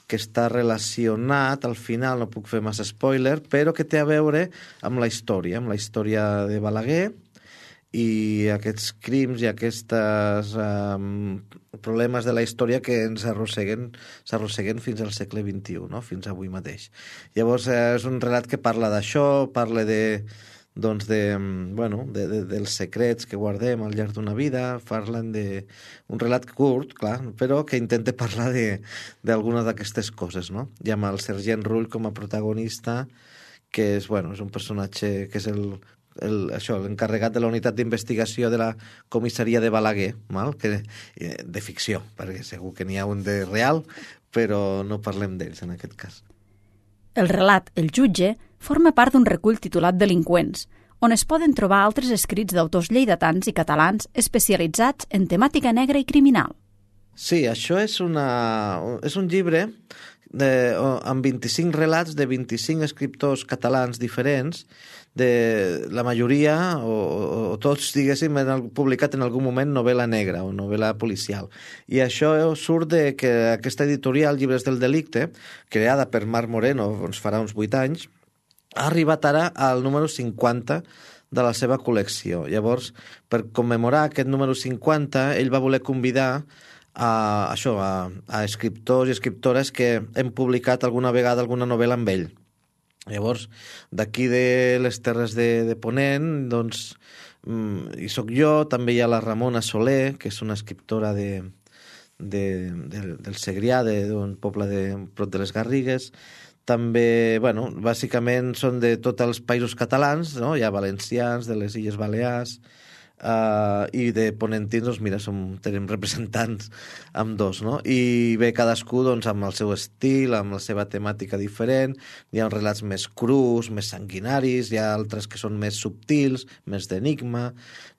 que està relacionat, al final no puc fer massa spoiler, però que té a veure amb la història, amb la història de Balaguer, i aquests crims i aquests um, problemes de la història que ens arrosseguen, s'arrosseguen fins al segle vint-i-u, no? Fins avui mateix. Llavors, eh, és un relat que parla d'això, parla de, doncs de, bueno, de, de, dels secrets que guardem al llarg d'una vida, parlen de un relat curt, clar, però que intenta parlar d'alguna d'aquestes coses, no? I amb el sergent Rull com a protagonista, que és, bueno, és un personatge que és el El, això, l'encarregat de la unitat d'investigació de la comissaria de Balaguer, mal? Que, de ficció, perquè segur que n'hi ha un de real, però no parlem d'ells en aquest cas.
El relat El jutge forma part d'un recull titulat Delinqüents, on es poden trobar altres escrits d'autors lleidatans i catalans especialitzats en temàtica negra i criminal.
Sí, això és, una, és un llibre de, amb vint-i-cinc relats de vint-i-cinc escriptors catalans diferents, de la majoria, o, o tots, diguéssim, han publicat en algun moment novel·la negra o novel·la policial. I això surt de que aquesta editorial, Llibres del Delicte, creada per Marc Moreno, ens farà uns vuit anys, ha arribat ara al número cinquanta de la seva col·lecció. Llavors, per commemorar aquest número cinquanta, ell va voler convidar a, això, a, a escriptors i escriptores que hem publicat alguna vegada alguna novel·la amb ell. Llavors, d'aquí de les Terres de, de Ponent, doncs, hi soc jo, també hi ha la Ramona Soler, que és una escriptora de, de, de, del Segrià, d'un poble de prop de les Garrigues. També, bueno, bàsicament són de tots els països catalans, no? Hi ha valencians, de les Illes Balears, Uh, i de ponentins, doncs mira, som, tenim representants amb dos, no? I bé, cadascú doncs, amb el seu estil, amb la seva temàtica diferent. Hi ha relats més crus, més sanguinaris, hi ha altres que són més subtils, més d'enigma,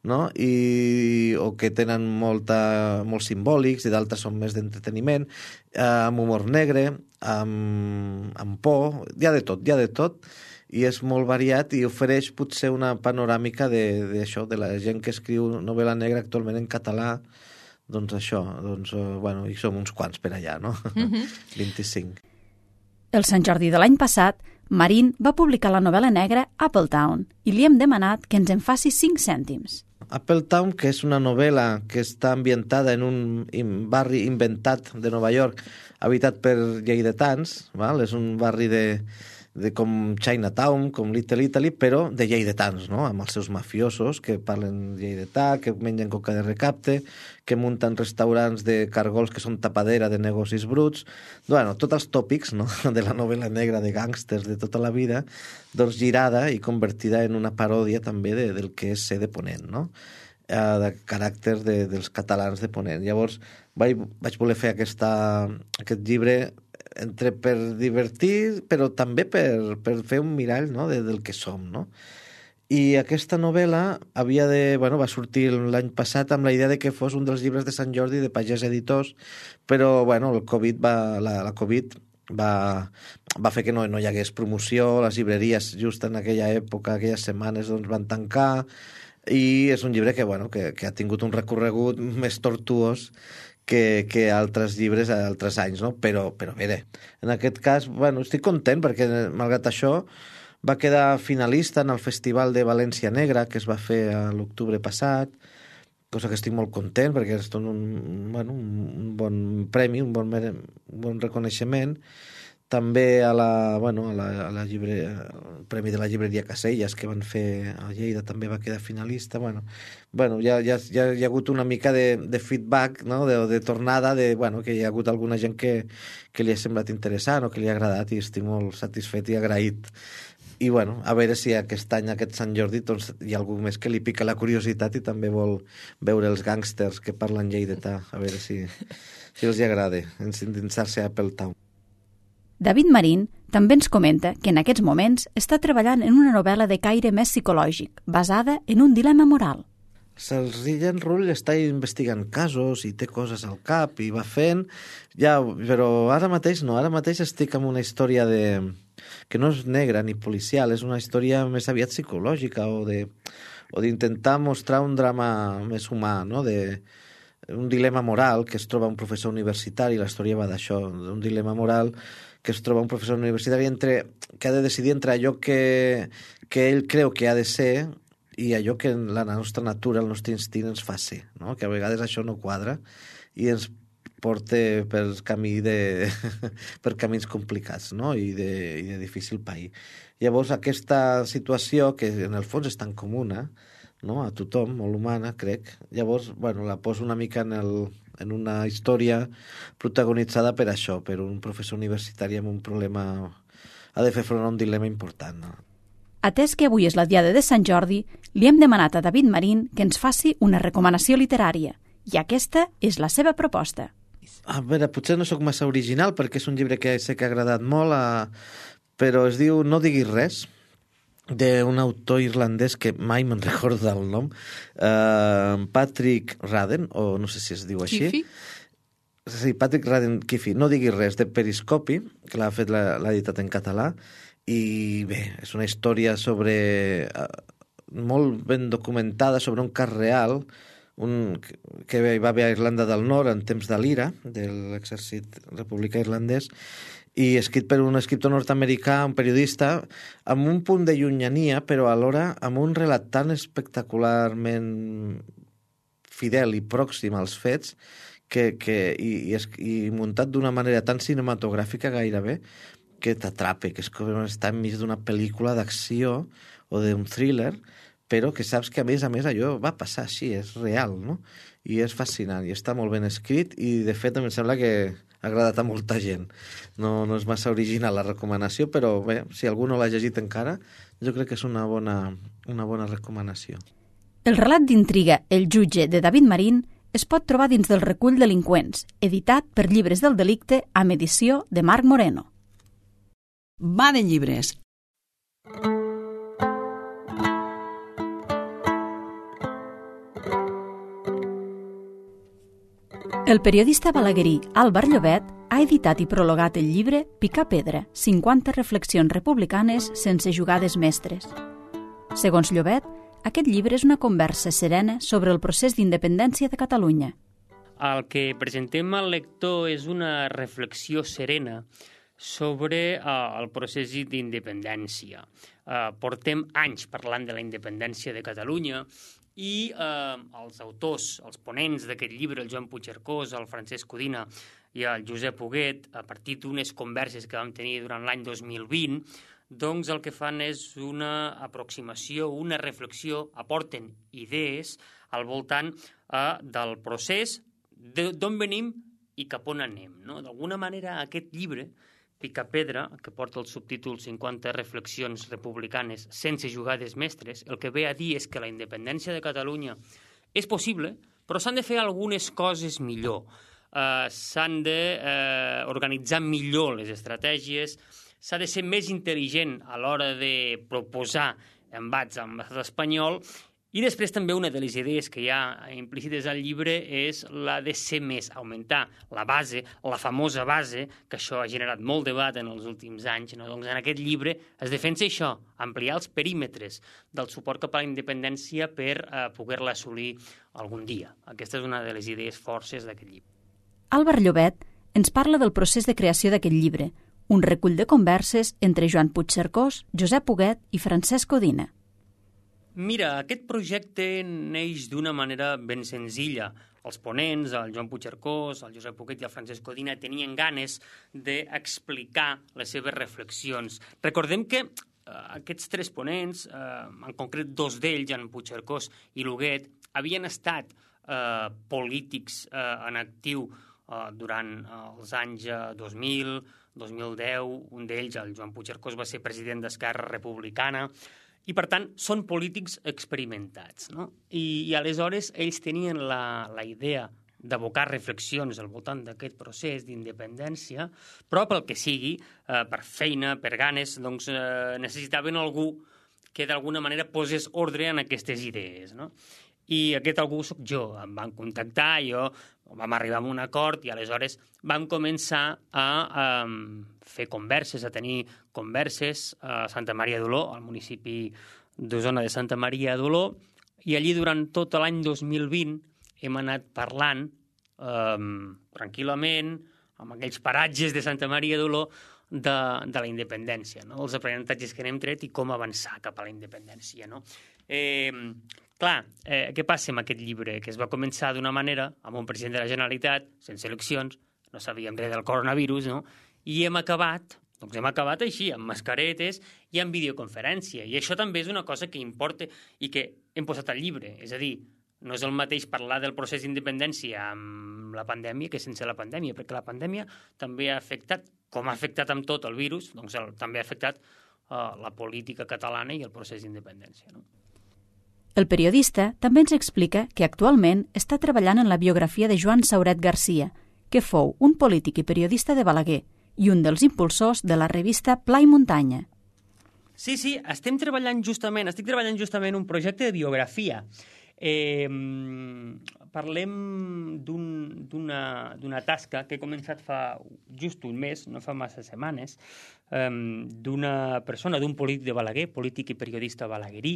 no? I, o que tenen molta, molt simbòlics, i d'altres són més d'entreteniment, uh, amb humor negre, amb, amb por, hi ha de tot, hi ha de tot, i és molt variat i ofereix potser una panoràmica d'això, de, de la gent que escriu novel·la negra actualment en català, doncs això, doncs, uh, bueno, i som uns quants per allà, no? Mm-hmm. vint-i-cinc.
El Sant Jordi de l'any passat, Marín va publicar la novel·la negra Appletown i li hem demanat que ens en faci cinc cèntims.
Appletown, que és una novel·la que està ambientada en un barri inventat de Nova York, habitat per lleidatans, val? És un barri de... de com Chinatown, com Little Italy, però de lleidatans, no? Amb els seus mafiosos que parlen lleidatà, que mengen coca de recapte, que munten restaurants de cargols que són tapadera de negocis bruts. Bueno, tots els tòpics, no? De la novel·la negra de gàngsters de tota la vida, doncs girada i convertida en una paròdia també de, del que és ser de Ponent, no? Eh, de caràcter de, dels catalans de Ponent. Llavors vaig, vaig voler fer aquesta, aquest llibre entre per divertir, però també per, per fer un mirall, no? de, del que som, no? I aquesta novel·la havia de, bueno, va sortir l'any passat amb la idea de que fos un dels llibres de Sant Jordi de Pagès Editors, però bueno, el Covid va, la, la Covid va, va fer que no, no hi hagués promoció, les llibreries just en aquella època, aquelles setmanes, doncs van tancar, i és un llibre que, bueno, que, que ha tingut un recorregut més tortuós que, que altres llibres a altres anys, no? Però, però bé, en aquest cas, bueno, estic content perquè, malgrat això, va quedar finalista en el Festival de València Negra, que es va fer a l'octubre passat, cosa que estic molt content perquè és un, bueno, un bon premi, un bon, un bon reconeixement. també a la, bueno, a la, a la llibre, el Premi de la Llibreria Caselles que van fer a Lleida també va quedar finalista. Bueno, bueno ja, ja, ja hi ha hagut una mica de, de feedback, no? de, de tornada, de, bueno, que hi ha hagut alguna gent que, que li ha semblat interessant o que li ha agradat i estic molt satisfet i agraït. I bueno, a veure si aquest any, aquest Sant Jordi, doncs, hi ha algú més que li pica la curiositat i també vol veure els gàngsters que parlen lleidatà, a veure si, si els hi agrada endinsar-se a Apple Town.
David Marín també ens comenta que en aquests moments està treballant en una novel·la de caire més psicològic, basada en un dilema moral.
El Rillen Rull està investigant casos i té coses al cap i va fent, ja, però ara mateix no, ara mateix estic amb una història de... que no és negra ni policial, és una història més aviat psicològica o de o d'intentar mostrar un drama més humà, no? De un dilema moral que es troba un professor universitari, la història va d'això, un dilema moral que es troba un professor universitari entre, que ha de decidir entre allò que, que ell creu que ha de ser i allò que la nostra natura, el nostre instint ens fa ser, no? Que a vegades això no quadra i ens porta per camí de per camins complicats, no? I de, i de difícil pair. Llavors aquesta situació, que en el fons és tan comuna, no? A tothom, molt humana, crec, llavors, bueno, la poso una mica en, el, en una història protagonitzada per això, per un professor universitari amb un problema, ha de fer front a un dilema important, no?
Atès que avui és la diada de Sant Jordi, li hem demanat a David Marín que ens faci una recomanació literària, i aquesta és la seva proposta.
A veure, potser no sóc massa original perquè és un llibre que sé que ha agradat molt, a... però es diu No diguis res, d'un autor irlandès que mai me'n recordo del nom, uh, Patrick Radden, o no sé si es diu així.
Kifi?
Sí, Patrick Radden Kifi, No diguis res, de Periscopi, que l'ha fet, l'ha editat en català, i bé, és una història sobre uh, molt ben documentada sobre un cas real, un, que hi va haver a Irlanda del Nord en temps de l'Ira, de l'exèrcit republicà irlandès, i escrit per un escriptor nord-americà, un periodista, amb un punt de llunyania, però alhora amb un relat tan espectacularment fidel i pròxim als fets que, que, i, i, i muntat d'una manera tan cinematogràfica gairebé que t'atrape, que és com estar enmig d'una pel·lícula d'acció o d'un thriller, però que saps que a més a més allò va passar així, és real, no? I és fascinant, i està molt ben escrit, i de fet em sembla que ha agradat a molta gent. No, no és massa original la recomanació, però bé, si algú no l'ha llegit encara, jo crec que és una bona, una bona recomanació.
El relat d'intriga El jutge de David Marín es pot trobar dins del recull Delinqüents, editat per Llibres del Delicte amb edició de Marc Moreno.
Va de llibres.
El periodista balaguerí Álvar Llobet ha editat i prologat el llibre Picar pedra, cinquanta reflexions republicanes sense jugades mestres. Segons Llobet, aquest llibre és una conversa serena sobre el procés d'independència de Catalunya.
El que presentem al lector és una reflexió serena sobre uh, el procés d'independència. Uh, portem anys parlant de la independència de Catalunya i eh, els autors, els ponents d'aquest llibre, el Joan Puigcercós, el Francesc Codina i el Josep Huguet, a partir d'unes converses que vam tenir durant l'any dos mil vint, doncs el que fan és una aproximació, una reflexió, aporten idees al voltant eh, del procés, d'on venim i cap on anem, no? D'alguna manera aquest llibre, Picapedra, que porta el subtítol cinquanta reflexions republicanes sense jugades mestres, el que ve a dir és que la independència de Catalunya és possible, però s'han de fer algunes coses millor. Uh, s'han d'organitzar uh, millor les estratègies, s'ha de ser més intel·ligent a l'hora de proposar embats amb l'estat espanyol. I després també una de les idees que hi ha implícites al llibre és la de ser més, augmentar la base, la famosa base, que això ha generat molt debat en els últims anys. No? Doncs en aquest llibre es defensa això, ampliar els perímetres del suport cap a la independència per eh, poder-la assolir algun dia. Aquesta és una de les idees forces d'aquest llibre.
Álvar Llobet ens parla del procés de creació d'aquest llibre, un recull de converses entre Joan Puigcercós, Josep Huguet i Francesc Codina.
Mira, aquest projecte neix d'una manera ben senzilla. els ponents, el Joan Puigcercós, el Josep Poquet i el Francesc Codina, tenien ganes d'explicar les seves reflexions. Recordem que eh, aquests tres ponents, eh, en concret dos d'ells, en Puigcercós i l'Huguet, havien estat eh, polítics eh, en actiu eh, durant eh, els anys eh, dos mil, dos mil deu. Un d'ells, el Joan Puigcercós, va ser president d'Esquerra Republicana, i, per tant, són polítics experimentats, no? I, i aleshores ells tenien la, la idea d'abocar reflexions al voltant d'aquest procés d'independència, però pel que sigui, eh, per feina, per ganes, doncs eh, necessitaven algú que d'alguna manera posés ordre en aquestes idees, no? I aquest algú soc jo. Em van contactar, jo vam arribar a un acord i aleshores vam començar a, a fer converses, a tenir converses a Santa Maria d'Oló, al municipi d'Osona de Santa Maria d'Oló, i allí durant tot l'any dos mil vint hem anat parlant eh, tranquil·lament, amb aquells paratges de Santa Maria d'Oló, de, de la independència, no? Els aprenentatges que n'hem tret i com avançar cap a la independència, no? Eh, clar, eh, què passa amb aquest llibre? Que es va començar d'una manera, amb un president de la Generalitat, sense eleccions, no sabíem res del coronavirus, no? I hem acabat, doncs hem acabat així, amb mascaretes i amb videoconferència. I això també és una cosa que importa i que hem posat al llibre. És a dir, no és el mateix parlar del procés d'independència amb la pandèmia que sense la pandèmia, perquè la pandèmia també ha afectat, com ha afectat amb tot el virus, doncs el, també ha afectat uh, la política catalana i el procés d'independència, no?
El periodista també ens explica que actualment està treballant en la biografia de Joan Sauret Garcia, que fou un polític i periodista de Balaguer i un dels impulsors de la revista Pla i Muntanya.
Sí, sí, estem treballant justament, estic treballant justament un projecte de biografia. Eh, parlem d'una un, tasca que he començat fa just un mes, no fa massa setmanes, eh, d'una persona, d'un polític de Balaguer, polític i periodista balaguerí,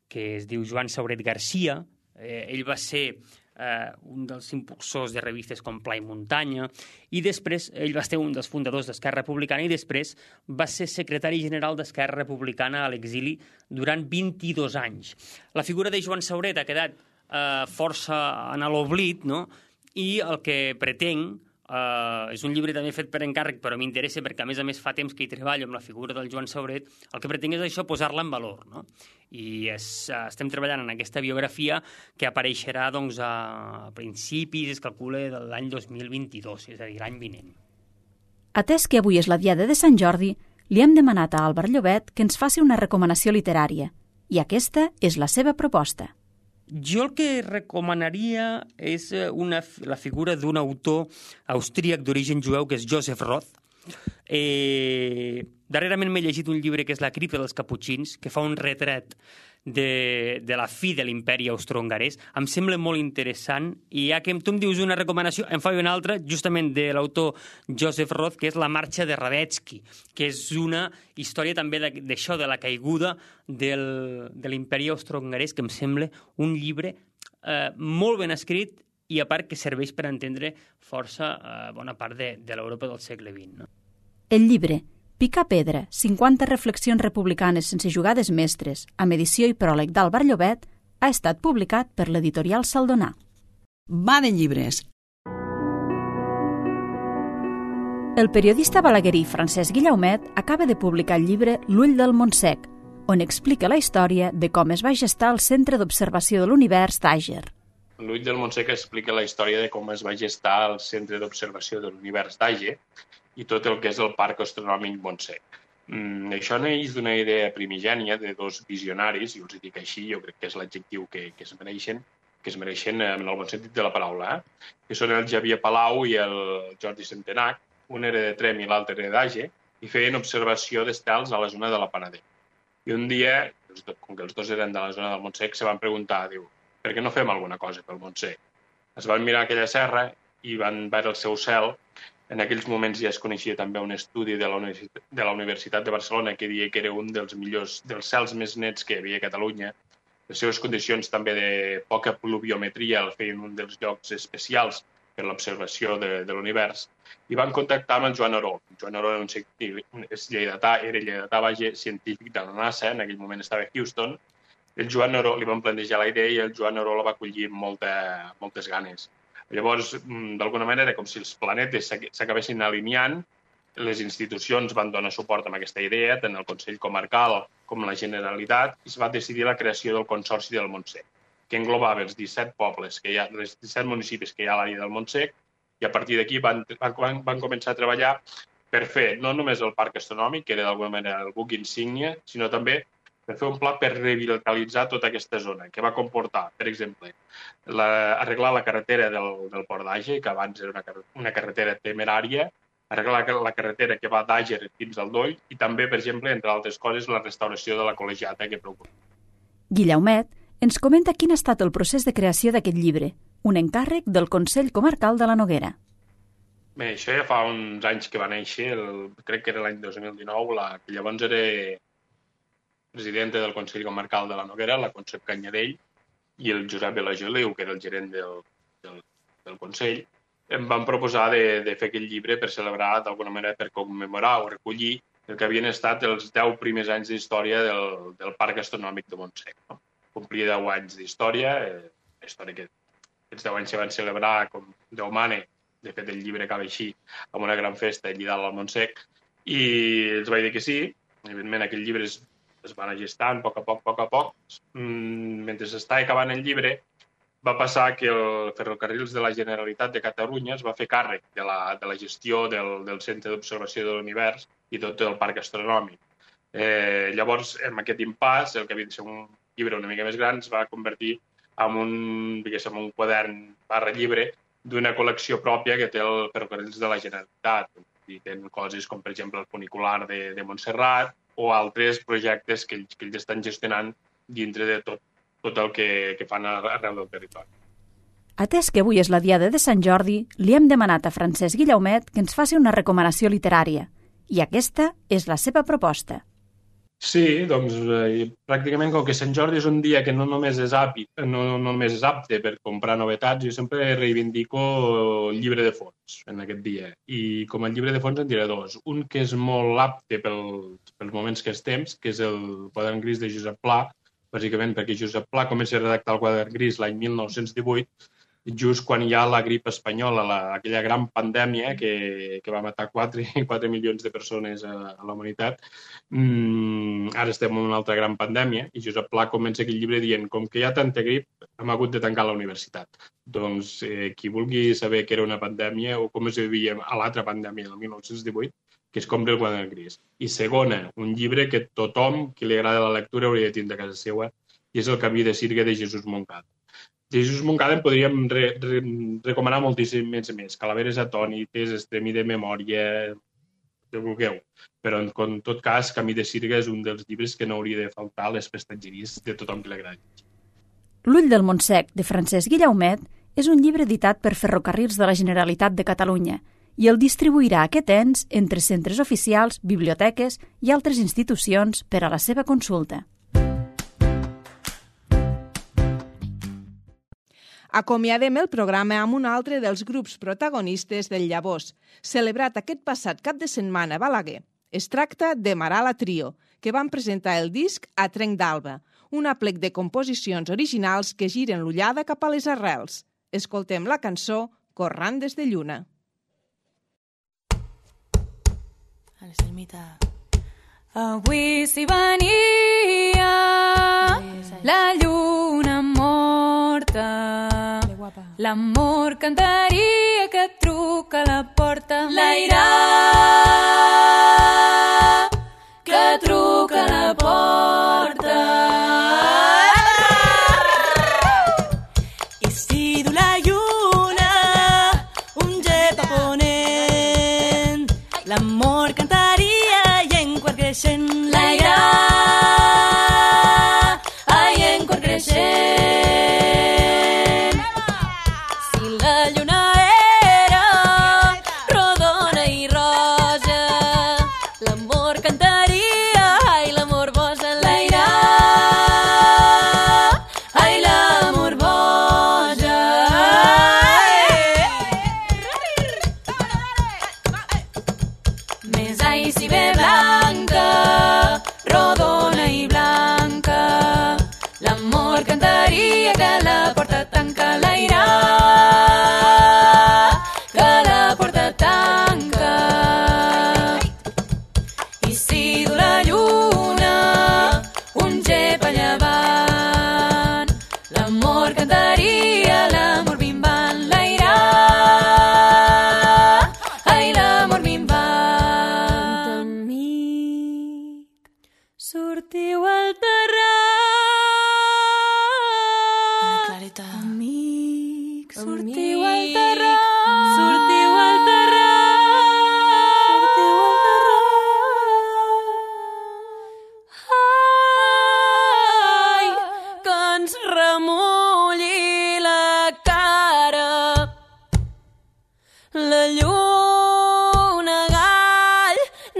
que es diu Joan Sauret Garcia. Eh, ell va ser eh, un dels impulsors de revistes com Pla i Muntanya, i després ell va ser un dels fundadors d'Esquerra Republicana i després va ser secretari general d'Esquerra Republicana a l'exili durant vint-i-dos anys. La figura de Joan Sauret ha quedat eh, força en l'oblit, no? I el que pretenc, Uh, és un llibre també fet per encàrrec, però m'interessa perquè a més a més fa temps que hi treballo amb la figura del Joan Sauret. El que pretenc és això, posar-la en valor, no? I és, uh, estem treballant en aquesta biografia que apareixerà doncs, a principis, es calcula, de l'any dos mil vint-i-dos, és a dir, l'any vinent.
Atès que avui és la diada de Sant Jordi, li hem demanat a Álvar Llobet que ens faci una recomanació literària, i aquesta és la seva proposta.
Jo el que recomanaria és una, la figura d'un autor austríac d'origen jueu, que és Joseph Roth. Eh, darrerament m'he llegit un llibre que és La cripta dels caputxins, que fa un retrat de, de la fi de l'imperi austro-hongarès. Em sembla molt interessant, i ja que tu em dius una recomanació, em fa una altra, justament de l'autor Joseph Roth, que és La marxa de Radetzky, que és una història també d'això, de la caiguda del, de l'imperi austro-hongarès, que em sembla un llibre eh, molt ben escrit i a part que serveix per entendre força eh, bona part de, de l'Europa del segle vint. No?
El llibre Picar pedra, cinquanta reflexions republicanes sense jugades mestres, amb edició i pròleg d'Álvar Llobet, ha estat publicat per l'editorial Saldonar.
Va de llibres.
El periodista balaguerí Francesc Guillaumet acaba de publicar el llibre L'ull del Montsec, on explica la història de com es va gestar el Centre d'Observació de l'Univers d'Àger.
L'ull del Montsec explica la història de com es va gestar el Centre d'Observació de l'Univers d'Àger i tot el que és el Parc Astronòmic Montsec. Mm, això neix d'una idea primigènia de dos visionaris, i els dic així, jo crec que és l'adjectiu que, que es mereixen, que es mereixen en el bon sentit de la paraula, eh? que són el Xavier Palau i el Jordi Centenac, un era de Trem i l'altre era d'Àger, i feien observació d'estels a la zona de la Panadera. I un dia, com que els dos eren de la zona del Montsec, se van preguntar, diu, per què no fem alguna cosa pel Montsec? Es van mirar aquella serra i van veure el seu cel. En aquells moments ja es coneixia també un estudi de la, Universitat, de la Universitat de Barcelona que deia que era un dels millors, dels cels més nets que hi havia a Catalunya. Les seves condicions també de poca pluviometria el feien un dels llocs especials per l'observació de, de l'univers. I van contactar amb el Joan Oró. El Joan Oró era un científic, és lleidatà, era lleidatà, vaja, científic de la NASA, en aquell moment estava a Houston, el Joan Neró li van plantejar la idea i el Joan Neró la va acollir amb molta, moltes ganes. Llavors, d'alguna manera, com si els planetes s'acabessin alineant, les institucions van donar suport a aquesta idea, tant el Consell Comarcal com la Generalitat, i es va decidir la creació del Consorci del Montsec, que englobava els disset pobles, que hi ha, els disset municipis que hi ha a l'àrea del Montsec, i a partir d'aquí van, van, van començar a treballar per fer no només el parc astronòmic, que era d'alguna manera el buc insígnia, sinó també per fer un pla per revitalitzar tota aquesta zona, que va comportar, per exemple, la, arreglar la carretera del, del Port d'Àger, que abans era una, una carretera temerària, arreglar la carretera que va d'Àger fins al Doll i també, per exemple, entre altres coses, la restauració de la col·legiata que preocupa.
Guillaumet ens comenta quin ha estat el procés de creació d'aquest llibre, un encàrrec del Consell Comarcal de la Noguera.
Bé, això ja fa uns anys que va néixer, el, crec que era l'any dos mil dinou, la, que llavors era presidenta del Consell Comarcal de la Noguera, la Concep Canyadell, i el Josep Belageliu, que era el gerent del, del, del Consell, em van proposar de, de fer aquell llibre per celebrar, d'alguna manera, per commemorar o recollir el que havien estat els deu primers anys d'història del, del Parc Astronòmic de Montsec. No? Complia deu anys d'història, eh, la història que aquests deu anys se van celebrar com Déu mane, de fet el llibre acaba així, amb una gran festa allà dalt al Montsec, i els vaig dir que sí. Evidentment, aquell llibre es, es va anar gestant a poc a poc, a poc a poc. Mm, mentre s'estava acabant el llibre, va passar que el Ferrocarrils de la Generalitat de Catalunya es va fer càrrec de la, de la gestió del, del Centre d'Observació de l'Univers i tot el Parc Astronòmic. Eh, llavors, en aquest impàs, el que havia de ser un llibre una mica més gran es va convertir en un, diguéssim, un quadern barra llibre d'una col·lecció pròpia que té el Ferrocarrils de la Generalitat. I tenen coses com, per exemple, el funicular de, de Montserrat o altres projectes que ells, que ells estan gestionant dintre de tot tot el que, que fan arreu del territori.
Atès que avui és la diada de Sant Jordi, li hem demanat a Francesc Guillaumet que ens faci una recomanació literària, i aquesta és la seva proposta.
Sí, doncs eh, pràcticament com que Sant Jordi és un dia que no només és apte, no, no només és apte per comprar novetats, jo sempre reivindico el llibre de fons en aquest dia. I com a llibre de fons en diré dos. Un que és molt apte pel, pels moments que estem, que és el Quadern gris de Josep Pla, bàsicament perquè Josep Pla comença a redactar el Quadern gris l'any mil nou-cents divuit, just quan hi ha la grip espanyola, la, aquella gran pandèmia que, que va matar quatre milions de persones a, a la humanitat. Mm, ara estem en una altra gran pandèmia i Josep Pla comença aquell llibre dient com que hi ha tanta grip, hem hagut de tancar la universitat. Doncs eh, qui vulgui saber què era una pandèmia o com es vivia a l'altra pandèmia del mil nou-cents divuit, que es compri el Quadern gris. I segona, un llibre que tothom qui li agrada la lectura hauria de tindre a casa seva, i és El camí de Sirga de Jesús Moncada. De Jesús Moncada en podríem re, re, recomanar moltíssim més, més. Calaveres atònites, Estremi de memòria, que vulgueu. Però en, en tot cas, Camí de Sirga és un dels llibres que no hauria de faltar a les prestatgeries de tothom qui li agradi.
L'ull del Montsec, de Francesc Guillaumet, és un llibre editat per Ferrocarrils de la Generalitat de Catalunya i el distribuirà aquest ens entre centres oficials, biblioteques i altres institucions per a la seva consulta.
Acomiadem el programa amb un altre dels grups protagonistes del Llavors, celebrat aquest passat cap de setmana a Balaguer. Es tracta de Marala Trio, que van presentar el disc A Trenc d'Alba, un aplec de composicions originals que giren l'ullada cap a les arrels. Escoltem la cançó Corrandes de Lluna.
Avui s'hi venia la lluna morta, l'amor cantaria que et truca a la porta, l'aire que truca a la porta. I si du la lluna un jet a ponent, l'amor cantaria i en quart creixent, l'aire ai en quart creixent. Si la lluna era rodona i roja, l'amor cantaria ai l'amor boja, l'aire ai l'amor boja. Més ai si ve blanca, rodona i blanca, la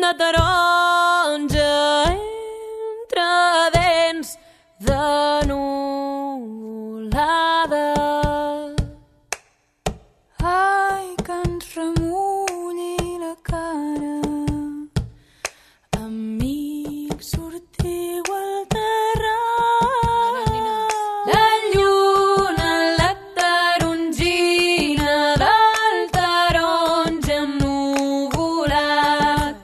de taronja entre dents de nuvolada. Ai, que ens remulli la cara. Amics, sortiu al terrat. La lluna, la tarongina del taronja ennuvolat.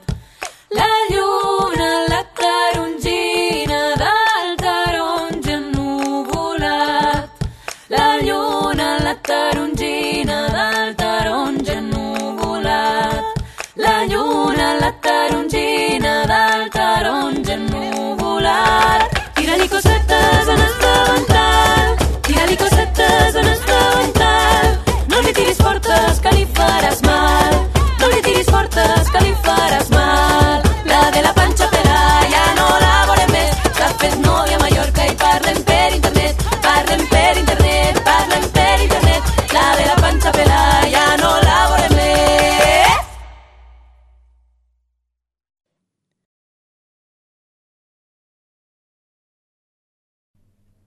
La lluna, la tarongina del taronja ennuvolat. La lluna, la tarongina del taronja ennuvolat. La lluna, la tarongina del taronja ennuvolat. Tira-li cosetes en el davantal, tira-li cosetes en el davantal. No li tiris fortes que li faràs mal, no li tiris fortes que